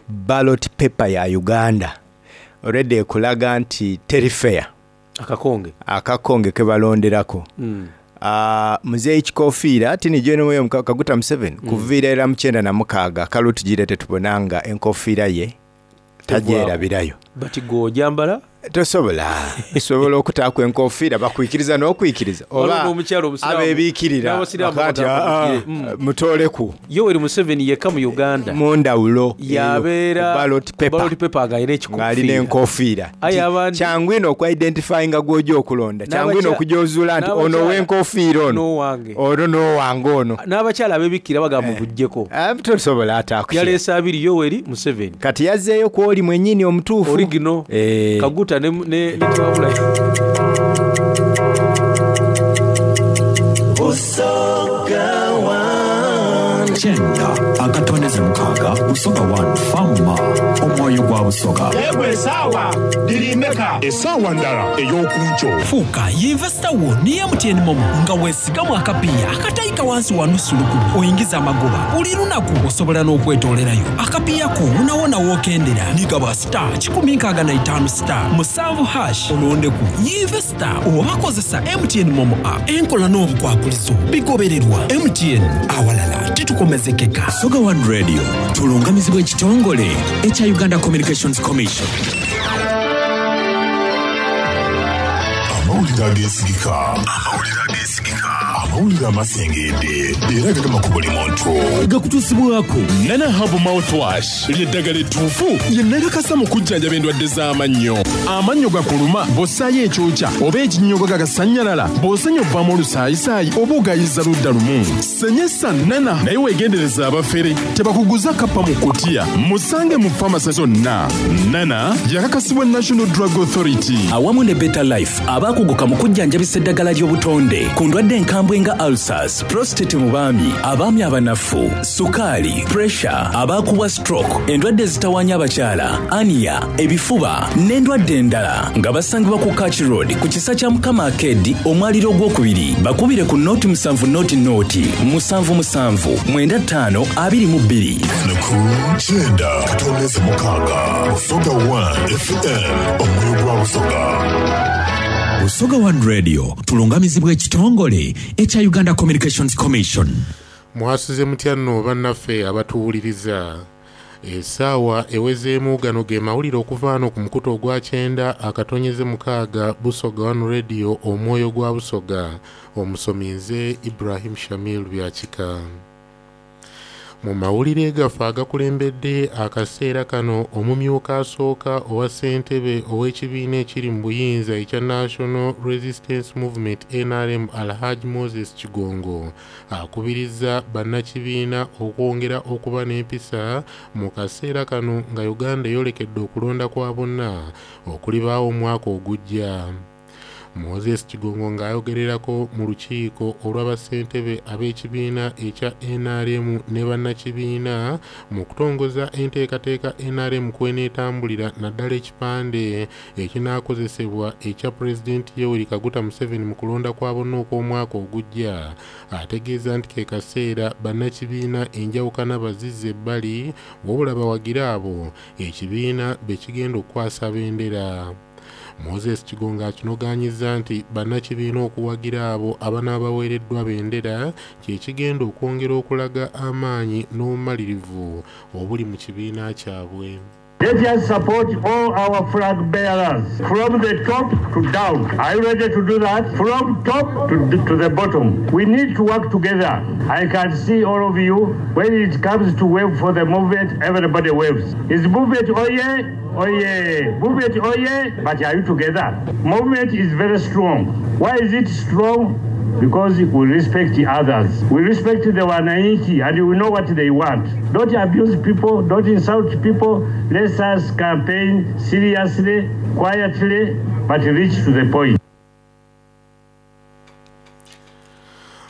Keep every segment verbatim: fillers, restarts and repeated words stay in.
Ballot paper ya Uganda already ekulaga nti teri fair. Akakonge. Akakonge ke balonderako. Mm. Uh, muzeeyi kikofiira tini General Kaguta Museveni Mm. kuviira era mu kyenda na mukaaga akalulu tugire tetubonanga enkofiira ye tagyerabirayo. But gwe ojambala? Tosobola, sobola okutaaku enkofiira bakwikiriza n'okwikiriza Waliwo oba n'omukyala omusiraamu- abeebiikirira n'abasiraamu bakati, bagamba "Ah, mugire." Mm. mutoleku Yoweri Museveni yekka mu Uganda mundawulo yabeera ballot paper ballot paper ng'alina ng'alina ekikofiira. Enkofiira. Aye Nti abandi- kyangu ino okuidentifyinga gw'ojja okulonda, kyangu ino N'abakya- okujozuula nti ono n'abakyala- ow'enkofiira ono n'owange. Ono n'owange ono. N'abakyala abeebikkira bagamba mubuggyeko. Ah, tosobola ate akukira. Yaleese abiri, Yoweri Museveni. Kati yazzeeyo kwoli mwennyini omutuufu. Origino. Eh. Kaguta ne ne ne Tewabula. Busoga One. Kyenda akatondeze mukaaga, Busoga One Fama, omwoyo gwa Busoga. Yegwe esaawa dirimeka Essaawa ndala ey'okunkyo. Fuuka yinvesita wo ne M T N MoMo nga weesigamu akapiiya akatayika wansi wa nusu lukumi oyingiza amagoba buli lunaku. Osobola n'okwetoolerayo akapiiya ko wonawona w'okendera. Nigaba star kikumi nkaaga na itaano star musanvu hash olondeku yinvesita oba kozesa M T N MoMo app. Enkola n'obukwakulizo bigobererwa. M T N, awalala titukomezekeka. Busoga One Radio tulungamizibwa ekitongole ekya Uganda Communications Commission. Amawulire ageesigika, amawulire ageesigika, amawulire amasengedde era gagema ku buli muntu. Gakutuusibwako Nana Herb Mouthwash, lyeddagala ettuufu lye nakakasa mu kujjanjaba endwadde z'amannyo. Amannyo gakuluma bw'ossaayo ekyokya oba ekinnyogo gagasannyalala, bw'osenya ovaamu olusaayisaayi oba ogayiza ludda lumu. Senyesa Nana, naye weegendereza abafere tebakuguza kappa mu kutiya. Musange mu famasi zonna. Nana yakakasibwa National Drug Authority awamu ne Better Life, abaakuguka mu kujjanjabisa eddagala ly'obutonde ku ndwadde enkambwe nga ulcers, prostate mu baami, abaami abanafu, sukaali, pressure, abaakubwa stroke, endwadde ezitawaanya abakyala, hernia, ebifuba n'endwadde endala, nga basangibwa ku Kach Road ku kisa kya Mukama Arcade, omwaliro ogwokubiri. Bakubire ku nooti musanvu nooti nooti musanvu musanvu mwenda ttaano abiri mu bbiri. Ku kyenda katondeze mukaaga, Busoga One F M, omwoyo gwa Busoga. Busoga One Radio tulungamizibwa ekitongole ekya Uganda Communications Commission. Mwasuze mutya nno bannaffe abatuwuliriza? Essaawa ewezeemu, gano ge mawulire okuva wano ku mukutu ogwa kyenda akatonyeze mukaaga, Busoga One Radio, omwoyo gwa Busoga. Omusomi nze Ibrahim Shamil Byakika. Mu mawulire gaffe agakulembedde akaseera kano, omumyuka asooka owa ssentebe ow'ekibiina ekiri mu buyinza ekya National Resistance Movement, N R M, Alhaj Moses Kigongo akubirizza bannakibiina okwongera okuba n'empisa mu kaseera kano nga Uganda eyolekedde okulonda kwa bonna okulibaawo omwaka ogujja. Moses Kigongo ng'ayogererako mu lukiiko olw'abassentebe ab'ekibiina ekya N R M ne bannakibiina mu kutongoza enteekateeka N R M kweneetambulira, naddala ekipande ekinaakozesebwa ekya Pulezidenti Yoweri Kaguta Museveni mu kulonda kwa bonna okw'omwaka ogujja, ategeeza nti ke kaseera bannakibiina enjawukana bazizza ebbali, wabula bawagire abo ekibiina be kigenda okukwasa bendera. Moses Kigongo akinogaanyizza nti bannakibiina okuwagira abo abanaaba baweereddwa bendera kye kigenda okwongera okulaga amaanyi n'obumalirivu obuli mu kibiina kyabwe. Let us support all our flag bearers from the top to down. Are you ready to do that? From top to, to the bottom. We need to work together. I can see all of you. When it comes to wave for the movement, everybody waves. Is movement oh yeah? Oh yeah. Movement oh yeah? But are you together? Movement is very strong. Why is it strong? Because we respect the others. We respect the Wananchi and we know what they want. Don't abuse people, don't insult people. Let us campaign seriously, quietly, but reach to the point.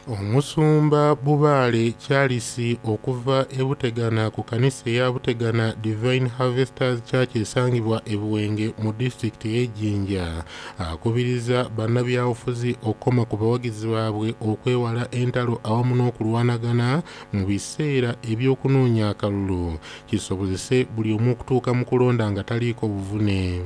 Omusumba Bubaale Charles okuva e Butegana ku kanisa eya Butegana Divine Harvesters Church esangibwa e Buwenge mu disitulikiti y'e Jinja akubiriza bannabyabufuzi okukoma ku bawagizi baabwe okwewala entalo awamu n'okulwanagana mu biseera eby'okunoonya akalulu kisobozese buli omu okutuuka mu kulonda nga taliiko buvune.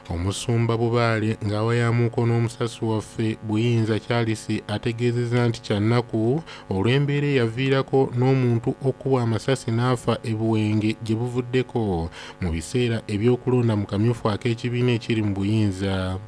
Omusumba Bubaale ng'awayamuuko n'omusasi waffe Buyinza Charles ategeezezza nti kyannaku olw'embeera eyaviirako n'omuntu okukubwa amasasi n'afa e Buwenge gye buvuddeko mu biseera eby'okulonda mu kamyufu ak'ekibiina ekiri mu buyinza.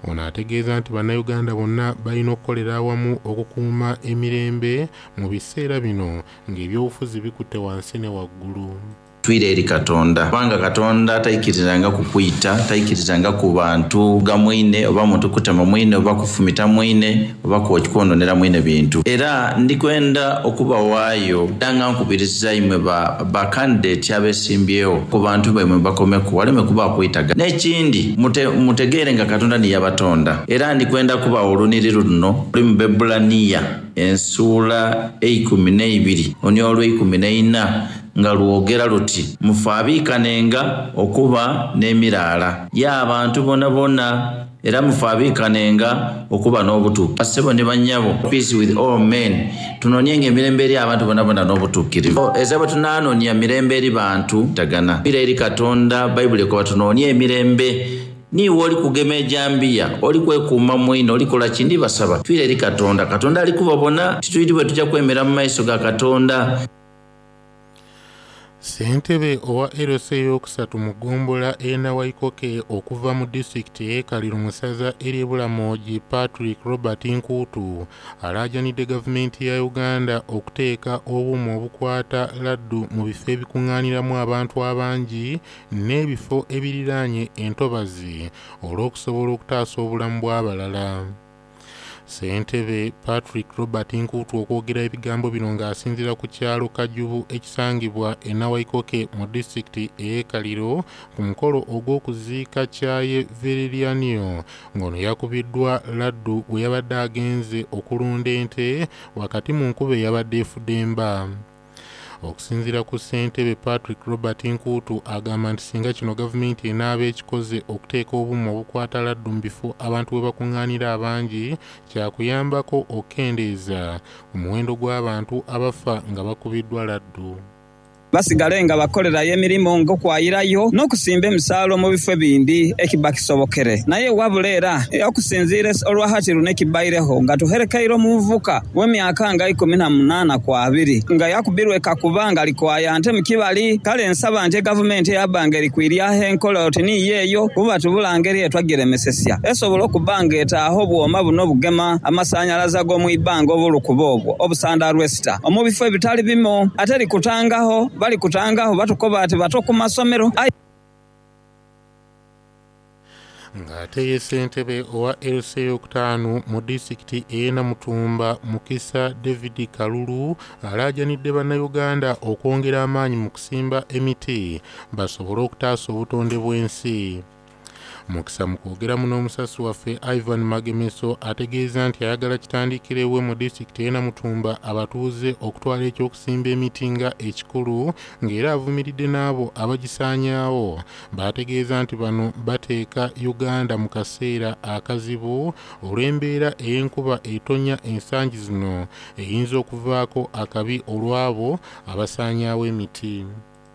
Ono ategeeza nti bannayuganda bonna balina okukolera awamu okukuuma emirembe mu biseera bino ng'ebyobufuzi bikutte wansi ne waggulu. Twire eri Katonda, kubanga Katonda taikirizanga kukwita, taikirizanga ku bantu ga mwine oba muntu kutema mwine oba kufumita mwine oba kwononera mwine bintu. Era ndikwenda okubawaayo era nga nkubiriza imwe ba, ba candidate abesimbyewo ku bantu baimwe bakomeku waleme kuba kwitaga. N'ekindi mute, mutegeere nga Katonda niyabatonda. Era ndikwenda kubawa oluniriro luno luli mu Bebulaniya ensuula eikumi n'eibiri oni olw'eikumi n'eina nga lwogera luti mufaabiikanenga okuba n'emiraala ya abantu bona bona era mufaabiikanenga okuba n'obutuukirivu. Bassebo ne bannyabo, peace with all men, tunoonyenga emirembe eri abantu bona bona n'obutuukirivu. Eza bwe tunaanoonya mirembe eri bantu tagana bira eri Katonda. Bayibuli ekoba tunoonye emirembe. Niiwe oli kugema ejambiya, oli kwekuuma mwino, oli kola kindi, basaba twire eri Katonda. Katonda ali kubabona, titwiri bwe tujja kwemera mu maiso ga Katonda. Ssentebe owa L C ey'okusatu mu ggombolola e Nawaikoke okuva mu disitulikiti y'e Kaliro mu ssaza ery'e Bulamogi Patrick Robert Nkuutu alaajanidde gavumenti ya Uganda okuteeka obuuma obukwata laddu mu bifo ebikuŋŋaaniramu abantu abangi n'ebifo ebiriraanye entobazi olw'okusobola okutaasa obulamu bw'abalala. Ssentebe Patrick Robert Nkuutu okwogera ebigambo bino ng'asinziira ku kyalo Kajubu ekisangibwa e Nawaikoke mu disitulikiti ey'e Kaliro ku mukolo ogw'okuziika Kyaye Vererianio ng'ono yakubiddwa laddu bwe yabadde agenze okulunda ente wakati mu nkuba eyabadde efudemba. Okusinziira ku ssentebe Patrick Robert Nkuutu agamba nti singa kino gavumenti enaaba ekikoze okuteeka obuuma obukwata laddu mu bifo abantu we bakuŋŋaanira abangi kyakuyambako okukendeeza ku muwendo gw'abantu abafa nga bakubiddwa laddu. Basigale nga bakolerayo emirimu ng'okwayirayo n'okusimba emisaalo mu bifo ebindi ekiba kisobokere. Naye wabula era okusinziira olwahati luno ekibaireho nga tuherekeire omuvubuka w'emyaka nga ikumi na munaana ku abiri nga yakubirwe kakuba nga likwaya nte mu kibali. Kale nsaba nti gavumenti eyabanga erikwiryaho enkola oti niyo eyo kuba tubula ngeri etwagiremesesya esobola okuba nga etaaho obwoma buno bugema amasannyalaze ag'omu ibbanga obulukuba obwo obusanda lwesita omu bifo ebitali bimu ate likutangaho bali kutangaho batukoba ati bato ku masomero. Ng'ate ye ssentebe owa L C ey'okutaano mu disitulikiti ey'e Namutumba Mukisa David Kalulu alaajanidde bannayuganda okwongera amaanyi mu kusimba emiti basobole okutaasa obutonde bw'ensi. Mukisa mu kwogeramu n'omusasi waffe Ivan Magemeso ategeeza nti ayagala kitandikirewe mu disitulikiti ey'e Namutumba abatuuze okutwala ekyokusimba emiti nga ekikulu ng'era avumiridde n'abo abagisaanyaawo. Baategeeza nti bano bateeka Uganda mu kaseera akazibu olw'embeera ey'enkuba etonnya ensangi zino eyinza okuvaako akabi olw'abo abasaanyaawo emiti.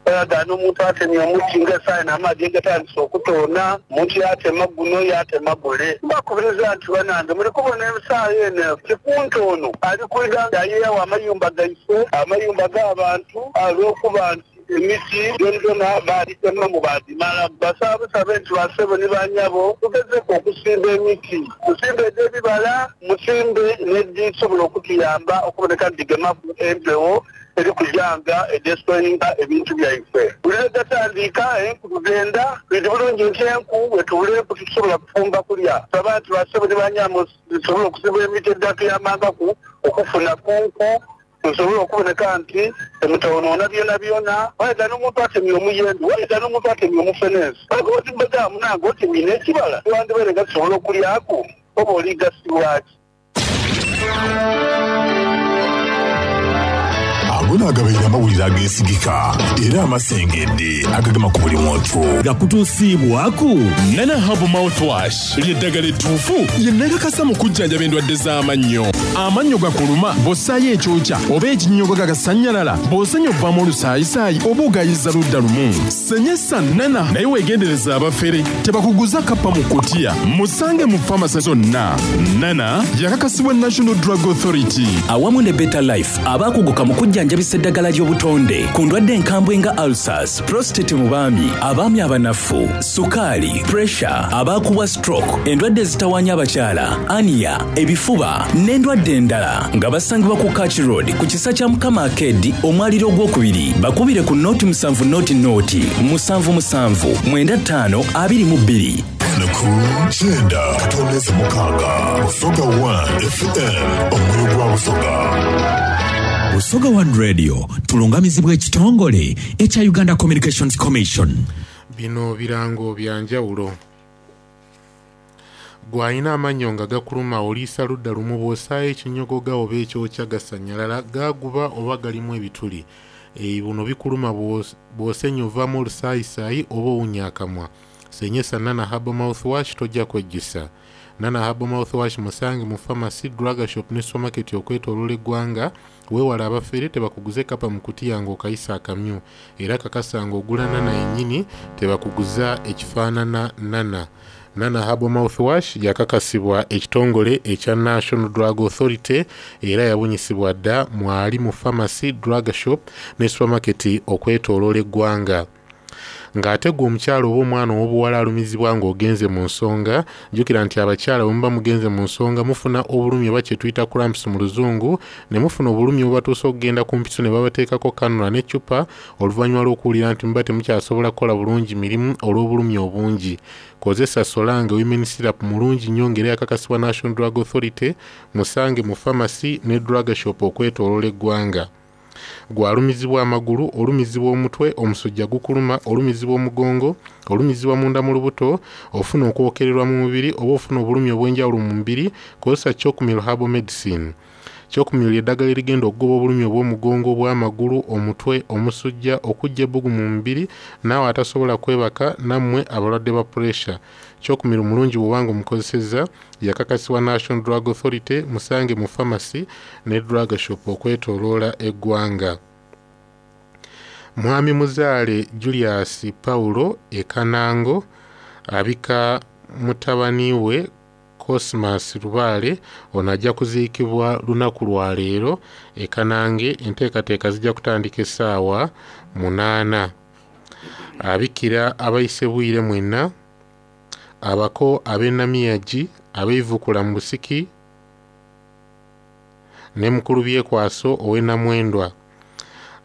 Oyagala n'omuntu atemye omuti ng'essaawa n'amazi gatandise okutoona, omuntu yatema guno yatema gule. Mbakubiriza nti banange muli kubona essaawa eno kikunta ono ali kwida ayeewo amayumba gaife, amayumba g'abantu olw'okuba nti emiti gyonna baalitemamu baagimala. Basaabusabe nti basebo ne bannyabo tugezeeko okusimba emiti, musimbe egy'ebibala, musimbe n'egisobola okutuyamba okuboneka nti gigemaku empewo erikujanga edestroyinga ebintu byaife. Buli lwe gatandika enku tugenda twidi bulungi nti enku bwe tubula enku tusobola kufumba kulya. Saba nti basebo ne bannyabo tusobole okusimba emiti edatuyambangaku okufuna ku nku tusobole okuboneka nti emutawonoona byona byona. Wayega n'omuntu atemye omuyembe, wayega n'omuntu atemye omufenensi, wayega oti munange otemye n'ekibala wandibeere nga tusobola okulyaku oba oligasibwaki. Ago naagabaire amawulire ageesigika era amasengedde agagema ku buli muntu. Gakutuusiibwaku Nana Herbal Mouthwash, ly'eddagala ettuufu lye nakakasa mu kujjanjaba endwadde z'amannyo. Amannyo gakuluma bw'ossaayo ekyokya oba ekinnyogo gagasannyalala, bw'osenya ovaamu olusaayisaayi oba ogayiza ludda lumu. Senyesa Nana, naye weegendereza abafere tebakuguza kappa mu kutiya. Musange mu famasi zonna. Nana yakakasibwa National Drug Authority. Awamu ne Better Life abaakuguka mu kujjanjabisa eddagala ly'obutonde ku ndwadde enkambwe nga ulcers, prostate mu baami, abaami abanafu, sukaali, pressure, abaakubwa stroke, endwadde ezitawaanya abakyala, aniya, ebifuba n'endwadde endala, nga basangibwa ku Kach Road ku kisa kya Mukama Arcade, omwaliro ogwokubiri. Bakubire ku nooti musanvu nooti nooti musanvu musanvu mwenda ttaano abiri mu bbiri. Ku kyenda katondeze mukaaga, Busoga one F M, omwoyo gwa Busoga. Busoga One Radio tulungamizibwa ekitongole ekya Uganda Communications Commission. Bino birango bya njawulo. Gw'alina amannyo nga gakuluma, oliisa ludda lumu, bw'osaayo ekinyogoga oba ekyokya gasannyalala, gaguba oba galimu ebituli. E, buno bikuluma bw'os- bw'osenya ovaamu olusaayisaayi oba owunya akamwa. Senyesa Nana Herbal Mouthwash, tojja kwejjusa. Nana Herbal Mouthwash musange mu pharmacy, drug shop ne supermarket okwetooloola eggwanga. Weewala abafere tebakuguze kapa mu kutiya ng'okayisa akamyu, era kakasa ng'ogula Nana yennyini, tebakuguza ekifaanana Nana. Nana Herbal Mouthwash yakakasibwa ekitongole ekya National Drug Authority era yabunyisibwa dda mwali mu pharmacy, drug shop ne supermarket okwetooloola eggwanga. Ng'ate gwe omukyala oba omwana ow'obuwala alumizibwa ng'ogenze mu nsonga, jjukira nti abakyala bwe muba mugenze mu nsonga mufuna obulumi oba kye tuyita cramps mu luzungu, ne mufuna obulumi obubatuusa okugenda ku mpiso ne babateekako kanula n'eccupa oluvannyuma lw'okuwulira nti muba temukyasobola kukola bulungi mirimu olw'obulumi obungi. Kozesa Solange Women Syrup, mulungi nnyo ng'era yakakasibwa National Drug Authority. Musange mu pharmacy ne drug shop okwetooloola eggwanga. Gw'alumizibwa amagulu, olumizibwa omutwe, omusujja gukuluma, olumizibwa omugongo, olumizibwa munda mu lubuto, ofuna okwokererwa mu mubiri oba ofuna obulumi obw'enjawulo mu mubiri, kozesa Chokumil Herbal Medicine. Chokumil eddagala erigenda okugoba obulumi obw'omugongo, obw'amagulu, omutwe, omusujja, okuggya ebbugu mu mubiri, naawe atasobola kwebaka, nammwe abalwadde ba pressure. Chokumil mulungi bw'obanga omukozesezza. Yakakasibwa National Drug Authority. Musange mu pharmacy ne drug shop okwetooloola eggwanga. Mwami Muzaale Julius Paulo Ekanango abika mutabani we Cosmas Lubaale. Ono ajja kuziikibwa lunaku lwa leero e Kanange. Enteekateeka zijja kutandika essaawa munaana. Abikira abayise bwire mwenna, abako ab'enamiyagi, abeivukula mu busiki ne mukulu Byekwaso ow'enamwendwa.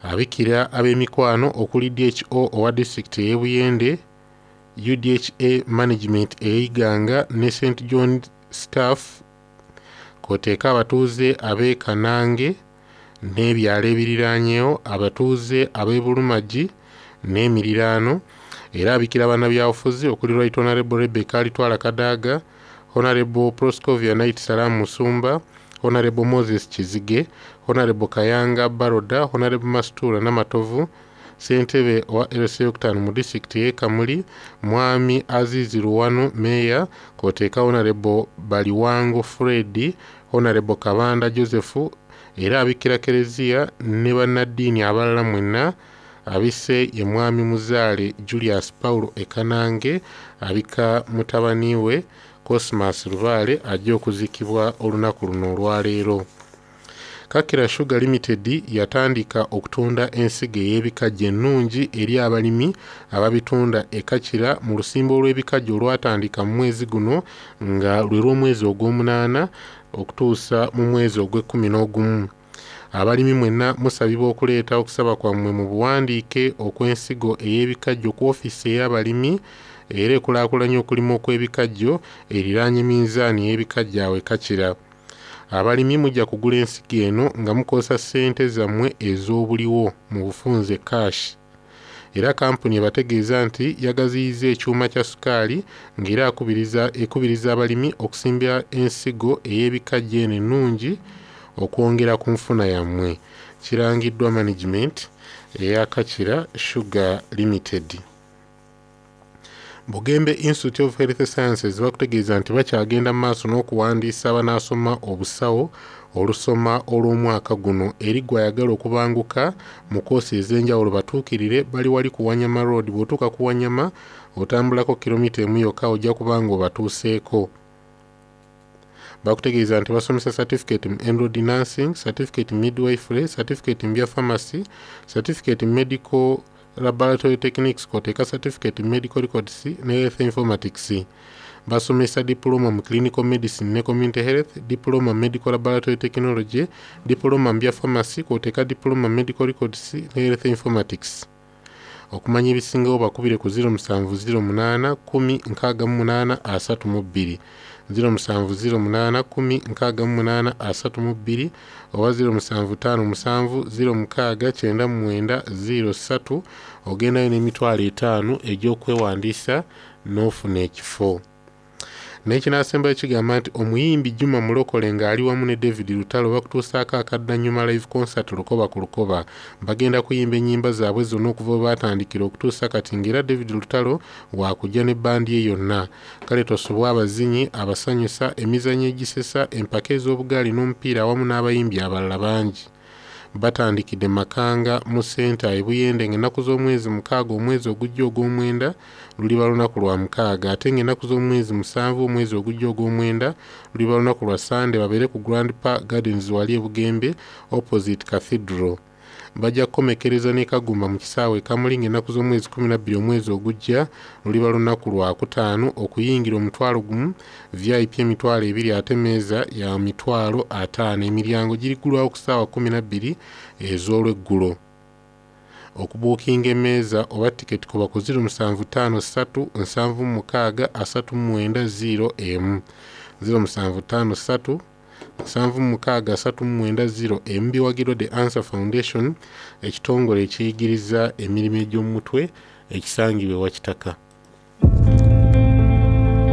Abikira ab'emikwano okuli D H O owa disitulikiti ey'e Buyende, U D H A management ey'Iganga ne Saint John staff, k'oteeka abatuuze ab'e Kanange n'ebyalo ebiriraanyeewo, abatuuze ab'e Bulumagi n'emiriraano. Era abikira bannabyabufuzi okuli Right Honorable Rebecca Alitwala Kadaga, Honorable Proscovia Knight Salam Musumba, Honorable Moses Kizige, Honorable Kayanga Baroda, Honorable Mastura Namatovu, ssentebe owa L C yokutaano mu disitulikiti y'e Kamuli, Mwami Azizi Luwano meeya, k'oteeka Honorable Baliwango Fred, Honorable Kabanda Joseph. Era abikira kereziya ne bannaddiini abalala mwenna. Abise ye Mwami Muzaale Julius Paulo Ekanange, abika mutabani we Cosmas Lubaale ajja okuziikibwa olunaku luno olwaleero. Kakira Sugar Limited yatandika okutunda ensigo ey'ebikajjo ennungi eri abalimi ababitunda e Kakira mu lusimbo olw'ebikajjo olwatandika mu mwezi guno nga lwe lw'omwezi ogw'omunaana okutuusa mu mwezi ogw'ekkumi n'ogumu. Abalimi mwenna musabibwa okuleeta okusaba kwammwe mu buwandiike okw'ensigo ey'ebikajjo ku ofiisi ey'abalimi era ekulaakulanya okulima okw'ebikajjo eriraanye minzaani y'ebikajjo awo e Kakira. Abalimi mujja kugula ensigo eno nga mukozesa ssente zammwe ez'obuliwo, mu bufunze cash. Era kampuni ebategeeza nti yagaziyiza ekyuma kya sukaali ng'era akubiriza ekubiriza abalimi okusimba ensigo ey'ebikajjo eno ennungi okwongera ku nfuna yammwe. Kirangiddwa management eya Kakira Sugar Limited. Bugembe Institute of Health Sciences bakutegeeza nti bakyagenda mu maaso n'okuwandiisa abanaasoma obusawo olusoma olw'omwaka guno. Eri gwe ayagala okubanguka mu koosi ez'enjawulo batuukirire bali wali ku Wanyama Road. Bw'otuuka ku Wanyama otambulako kilomita emu yokka ojja kuba nga obatuuseeko. Bakutegeeza nti basomesa certificate mu enrolled nursing, certificate mu midwifery, certificate mu bya pharmacy, certificate mu medical laboratory techniques kw'oteeka certificate mu medical records ne health informatics. Basomesa diploma mu clinical medicine ne community health, diploma mu medical laboratory technology, diploma mu bya pharmacy kw'oteeka diploma mu medical records ne health informatics. Okumanya ebisingawo bakubire ku ziro musanvu ziro munaana kkumi nkaaga mu munaana asatu mu bbiri, ziro musanvu ziro munaana kkumi nkaaga mu munaana asatu mu bbiri oba ziro musanvu ttaano musanvu ziro mukaaga kyenda mu mwenda ziro ssatu. Ogendayo n'emitwalo etaano egy'okwewandiisa n'ofuna ekifo. N'ekinaasembayo kigamba nti omuyimbi Juma Mulokole ng'ali wamu ne David Lutalo bakutuusaako akaddannyuma live concert Lukoba ku Lukoba. Bagenda kuyimba ennyimba zaabwe zonna okuva we baatandikira okutuusa kati, ng'era David Lutalo waakujja ne bbandi ye yonna. Kale tosubwa abazinyi abasanyusa, emizannyo egisesa, empaka ez'obugaali n'omupiira awamu n'abayimbi abalala bangi. Batandikidde Makanga mu Center e Buyende ng'ennaku z'omwezi mukaaga omwezi ogujja ogw'omwenda, luliba lunaku lwa mukaaga, ate ng'ennaku z'omwezi musanvu omwezi ogujja ogw'omwenda, luliba lunaku lwa Sande, babeere ku Grand Park Gardens wali e Bugembe opposite Cathedral. Bajja kukomekereza ne Kagumba mu kisaawe e Kamuli ng'ennaku z'omwezi kkumi na bbiri omwezi ogujja, luliba lunaku lwa kutaano. Okuyingira omutwalo gumu, V I P emitwalo ebiri, ate meeza ya mitwalo ataano. Emiryango giriggulwawo ku ssaawa kkumi na bbiri ez'olweggulo. Okubuukinga emmeeza oba tiketi kuba ku ziro musanvu ttaano ssatu nsanvu mu mukaaga asatu mu mwenda ziro emu, ziro musanvu ttaano ssatu nsanvu mu mukaaga asatu mu mwenda ziro emu. Biwagirwa The Answer Foundation, ekitongole ekiyigiriza emirimu egy'omutwe ekisangibwa ewa Kitaka.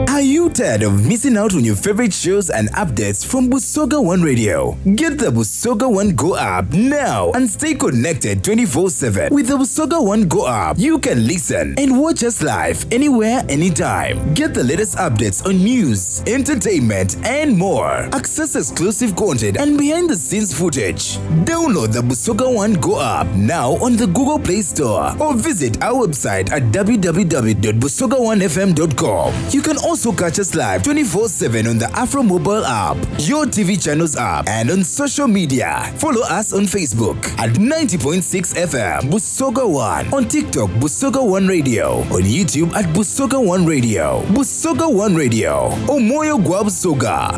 Are you tired of missing out on your favorite shows and updates from Busoga One Radio? Get the Busoga One Go app now and stay connected twenty-four seven. With the Busoga One Go app, you can listen and watch us live anywhere, anytime. Get the latest updates on news, entertainment, and more. Access exclusive content and behind the scenes footage. Download the Busoga One Go app now on the Google Play Store or visit our website at w w w dot busoga one f m dot com. You can also catch us live twenty-four seven on the Afro Mobile app, your T V channels app, and on social media. Follow us on Facebook at ninety point six F M Busoga One, on TikTok Busoga One Radio, on YouTube at Busoga One Radio. Busoga One Radio, Omwoyo Gwa Busoga.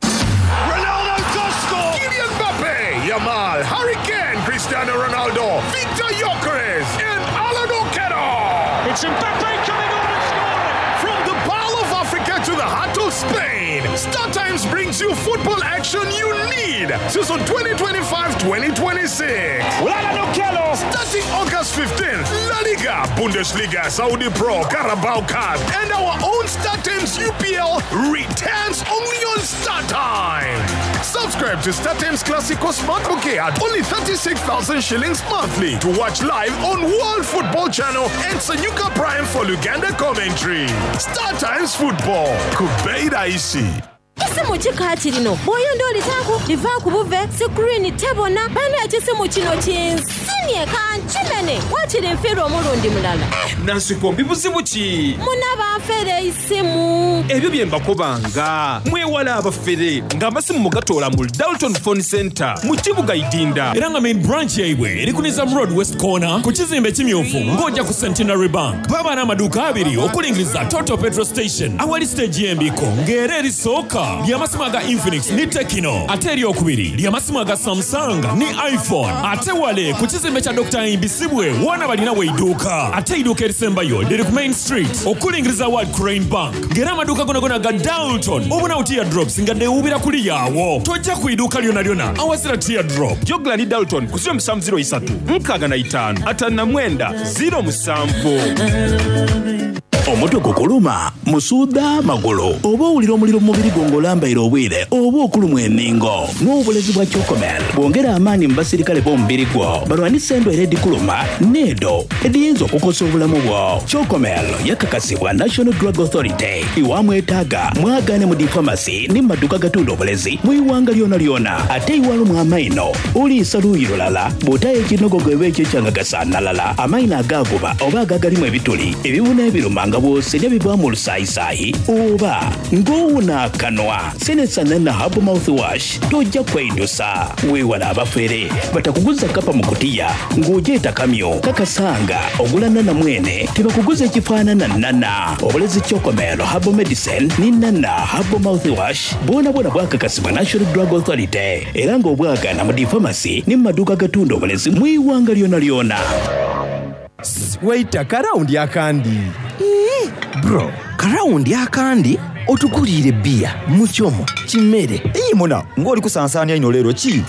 Ronaldo does score! Kylian Mbappe, Yamal, Harry Kane, Cristiano Ronaldo, Victor Gyökeres, and Alan Okello. It's Mbappe coming on and scoring! From the Pearl of Africa to the heart of Spain, Star Times brings you football action you need. Season twenty twenty-five twenty twenty-six. Alan Okello! Starting August fifteenth, La Liga, Bundesliga, Saudi Pro, Carabao Cup, and our own Star Times U P L returns only on Star Times. Subscribe to Star Times Classico Smart Bouquet at only thirty-six thousand shillings monthly to watch live on World Football Channel and Sanyuka Prime for Luganda commentary. Star Times Football. Kubeida isi. Kisimu kika kirino bw'oyenda olitaaku liva ku buve screen tebona. Bana, ekisimu kino kinsinye kankimene wakiri nfiirwa omulundi mulala. Nansikombi, buzibu ki? Muna banfere isimu. Ebyo bye mbakobanga, mwewala abafere ng'amasimu mugatoola mu Dalton Phone Center mu kibuga Idinda. Era nga main branch yaibwe eri ku Nizam Road West Corner ku kizimbe ekimyufu ng'ojja ku Centenary Bank. Baba n'amaduuka abiri okulingiriza Total Petrol Station awali stage y'embiko ng'era erisooka Ly'amasimu aga Infinix ni Tecno, ate eryokubiri ly'amasimu aga Samsung ni iPhone. Ate wale ku kizimbe kya Dokita Ahimbisibwe woona balinawo eiduuka. Ate eiduuka erisembayo liri ku Main Street okulingiriza World Crane Bank. Ng'era amaduuka gonagona ga Dalton obonawo teardrops nga deewubira kuliyaawo. Tojja ku iduuka lyona lyona awazira teardrop. Jogla ni Dalton ku ziro musanvu ziro isatu nkaaga na itaano ataano na mwenda ziro musanvu. Omutwe gukuluma, musuuda magulu, oba owulira omuliro mu mubiri gwo ng'olambaire obwire oba okulumwa enningo. N'obulezi bwa Chocomel bwongera amaanyi mu basirikale b'omubiri gwo balwanisa endwaire edikuluma n'edo ediyinza okukosa obulamu bwo. Chocomel yakakasibwa National Drug Authority. Iwamwetaaga mwagaane mu difamasi ne mu maduuka agatunda obulezi mu iwanga lyona lyona. Ate iwalumwa amaino oliisa luuyi lulala bw'otayo ekinogogo eba ekyo ekyangagasaanalala amaino agaaguba oba agagalimu ebituli ebibuna ebiruma nga bw'osenya bivaamu olusaayisaayi oba ng'owuna akanwa. Senesa Nana Herbal Mouthwash tojja kweidusa. Weewala abafere batakuguza kapa mu kutiya ng'ogyeta kamyo kakasanga ogula nana mwene tebakuguza ekifaanana nana. Obulezi Chocomel Herbal Medicine ni Nana Herbal Mouthwash bwona bwona bwakakasibwa National Drug Authority era ng'obwagaana mu difamasi ne mu maduuka agatunda obulezi mu iwanga lyona lyona. Waita karawundi akandi. Bro, karawundi akandi otuguliire bbiya mukyomo kimere. Iyi muna ng'oli kusansaanya ino leero ki?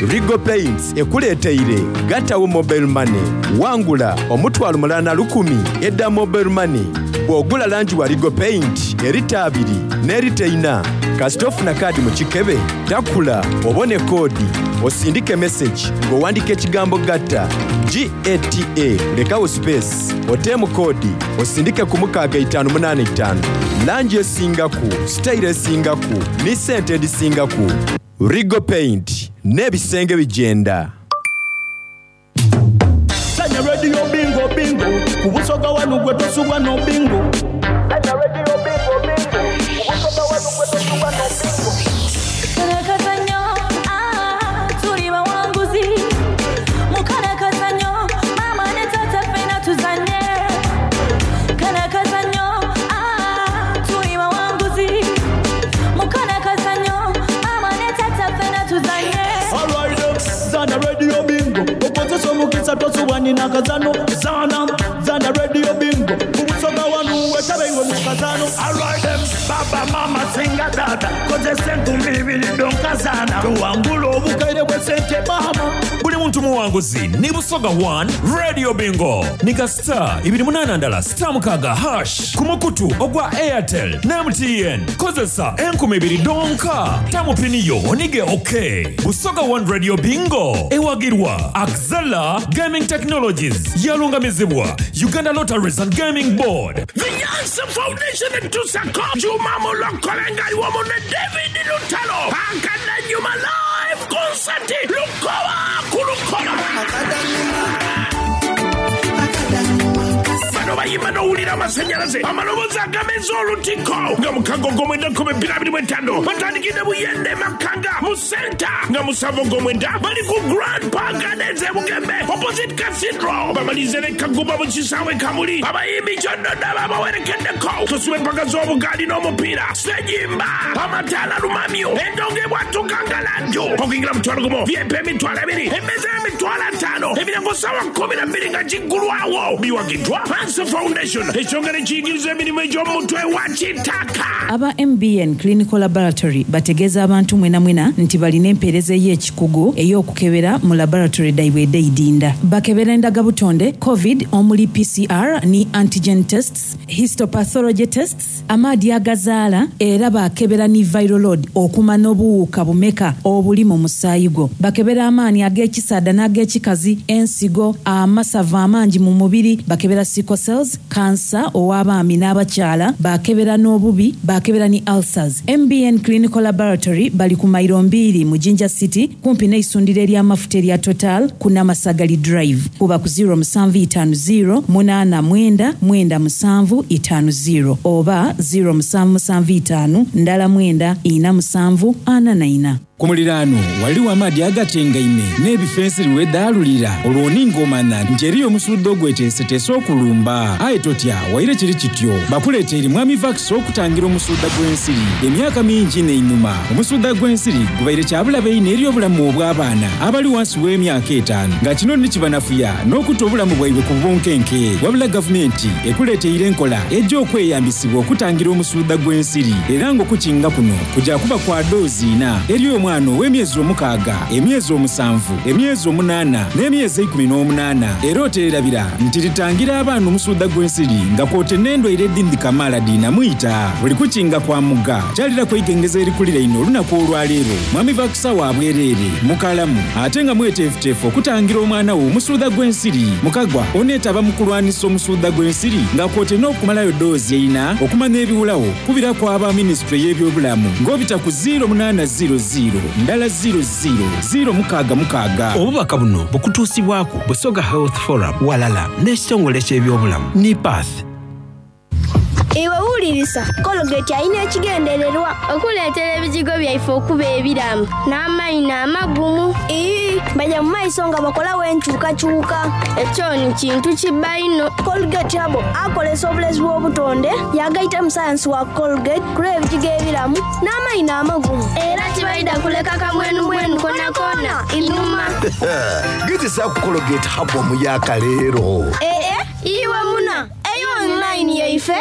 Regal Paints ekuleeteire gatawo mobile money wangula omutwalo mulala na lukumi edda mobile money bw'ogula langi wa Regal Paint erita abiri n'erita ina kasita ofuna kaadi mu kikebe takula obone koodi osindike message ng'owandika ekigambo gatta G A T A lekawo space oteemu koodi osindike ku mukaaga itaano munaana itaano langi esingaku sitayiro esingaku ni sente edisingaku. Regal Paint n'ebisenge bijenda. Sanya radio bingo bingo ku Busoga wanu gwe tosubwa no bingo. Sanya radio bingo bingo ku Busoga wanu gwe tosubwa no bingo. Karakazanyo, ah, tuli bawanguzi. Mukarakazanyo, mama ne tata ffena tuzanye. Karakazanyo, ah, tuli bawanguzi. Mukarakazanyo, mama ne tata ffena tuzanye. Alright, zana radio bingo okozesa omukisa tosubwa nina kazano zana zana radio bingo ku Busoga wanu wetabe iwe mu kazano. Alright, baba mama singa tata kozesa enkumbi ibiri donkazana tuwangula obukaire bw'essente mama. Buli muntu muwanguzi ni Busoga one Radio Bingo nika star ibiri munaana ndala star mukaaga hash ku mukutu ogwa Airtel ne M T N kozesa enkumi ibiri donka tamupiniyo onige ok. Busoga one Radio Bingo ewagirwa Axela Gaming Technologies yalungamizibwa Uganda Lotteries and Gaming Board. The Yansa Foundation etusako Juma Mulokolenga iwomu ne David Lutalo Akadanyuma live concert Lukoba ku Lukoba. Bano bayimba n'owulira amasanyalaze amaloboozi agameza olutiko nga mukago ogw'omwenda nkumi bbiri abiri mu etaano batandikidde Buyende Makanga mu senta nga musanvu ogw'omwenda bali ku Grand Park Gardens e Bugembe opposite Cathedral bamalirize ne Kagumba mu kisaawe Kamuli abayimbi kyonna babawerekeddeko tosuba empaka z'obugaali n'omupiira sejimba amataala lumamyo endongo ebwatuka ngalanjo okuyingira mutwalo gumu V I P emitwalo ebiri emmeeza y'emitwalo ataano emiryango ssaawa kumi na bbiri nga giggulwawo biwagiddwa Hanse Foundation ekyongera ekiyigiriza emirimu egy'omutwe wa kitaka. Aba M B N Clinical Laboratory bategeeza abantu mwena mwena nti balina empeereza ey'ekikugu ey'okukebera mu laboratory daibwe edeidinda. Bakebera endagabutonde COVID omuli P C R ni antigen tests, histopathology tests, amaadi agazaala era bakebera ni viral load okumanya obuwuka bumeka obuli mu musaayi gwo. Bakebera amaanyi ag'ekisaada n'ag'ekikazi, ensigo, amasavu amangi mu mubiri, bakebera sickle cells, kansa ow'abaami n'abakyala, bakebera n'obubi, bakebera ni ulcers. M B N Clinical Laboratory bali ku mayiro mbiri mu Jinja City kumpi n'eisundiro ery'amafuta erya Total ku Namasagali Drive. Kuba ku zero seven five zero eight nine nine seven five zero oba zero seven seven five ndala mwenda ina musanvu ana na ina. Ku muliraano waliwo amaadi agatengaime n'ebifo ensiri wedaalulira olwo ningomana nti eriyo omusudde ogweteeseteese okulumba. Aye totya waire kiri kityo bakuleeta eri mwami Vax okutangira omusudda gw'ensiri. Emyaka mingi n'einuma omusudda gw'ensiri gubaire kyabulabe ino eri obulamu obw'abaana abali wansi w'emyaka etaano nga kino nikibanafuya n'okutta obulamu bwaibwe ku bunkenke. Wabula gavumenti ekuleeteire enkola ejja okweyambisibwa okutangira omusudda gw'ensiri era ng'okukinga kuno kujja kuba kwa doozi ina eri omwana ow'emyezi omukaaga, emyezi omusanvu, emyezi omunaana n'emyezi eikumi n'omunaana. Era oteerabira nti litangira abaana omusudda gw'ensiri nga kwote n'endwaire edindi kamaala diinamuyita. Buli kukinga kwa muga kyalira kwegengeza erikulira ino olunaku olwaleero. Mwami Vakusawa abwereere mukalamu ate nga mweteefuteefu okutangira omwana wo omusudda gw'ensiri. Mukagwa oneetaba mu kulwanisa omusudda gw'ensiri nga kwote n'okumalayo doozi eina okumanya ebiwulawo kubirako aba minisitule y'ebyobulamu ng'obita ku ziro munaana ziro ziro ndala ziro ziro ziro mukaaga mukaaga. Obubaka buno bukutuusibwako Busoga Health Forum walala n'ekitongole ky'ebyobulamu NIPATH. Iwe wulirisa Colgate alina ekigendererwa okuleetera ebijigo byaife okuba ebiramu n'amayina amagumu. Ii, bajja mu maiso nga bakolawo enkyukakyuka. Ekyo ni kintu kibba ino. Colgate abo akolesa obulezi bw'obutonde yagaita mu sayansi wa Colgate kula ebijigo ebiramu n'amayina amagumu. Era kibaida kuleka kamwenumwenu kona kona inuma. Gezesa ku Colgate habo omuyaka leero. Ee, iwe muna eyo online yaife.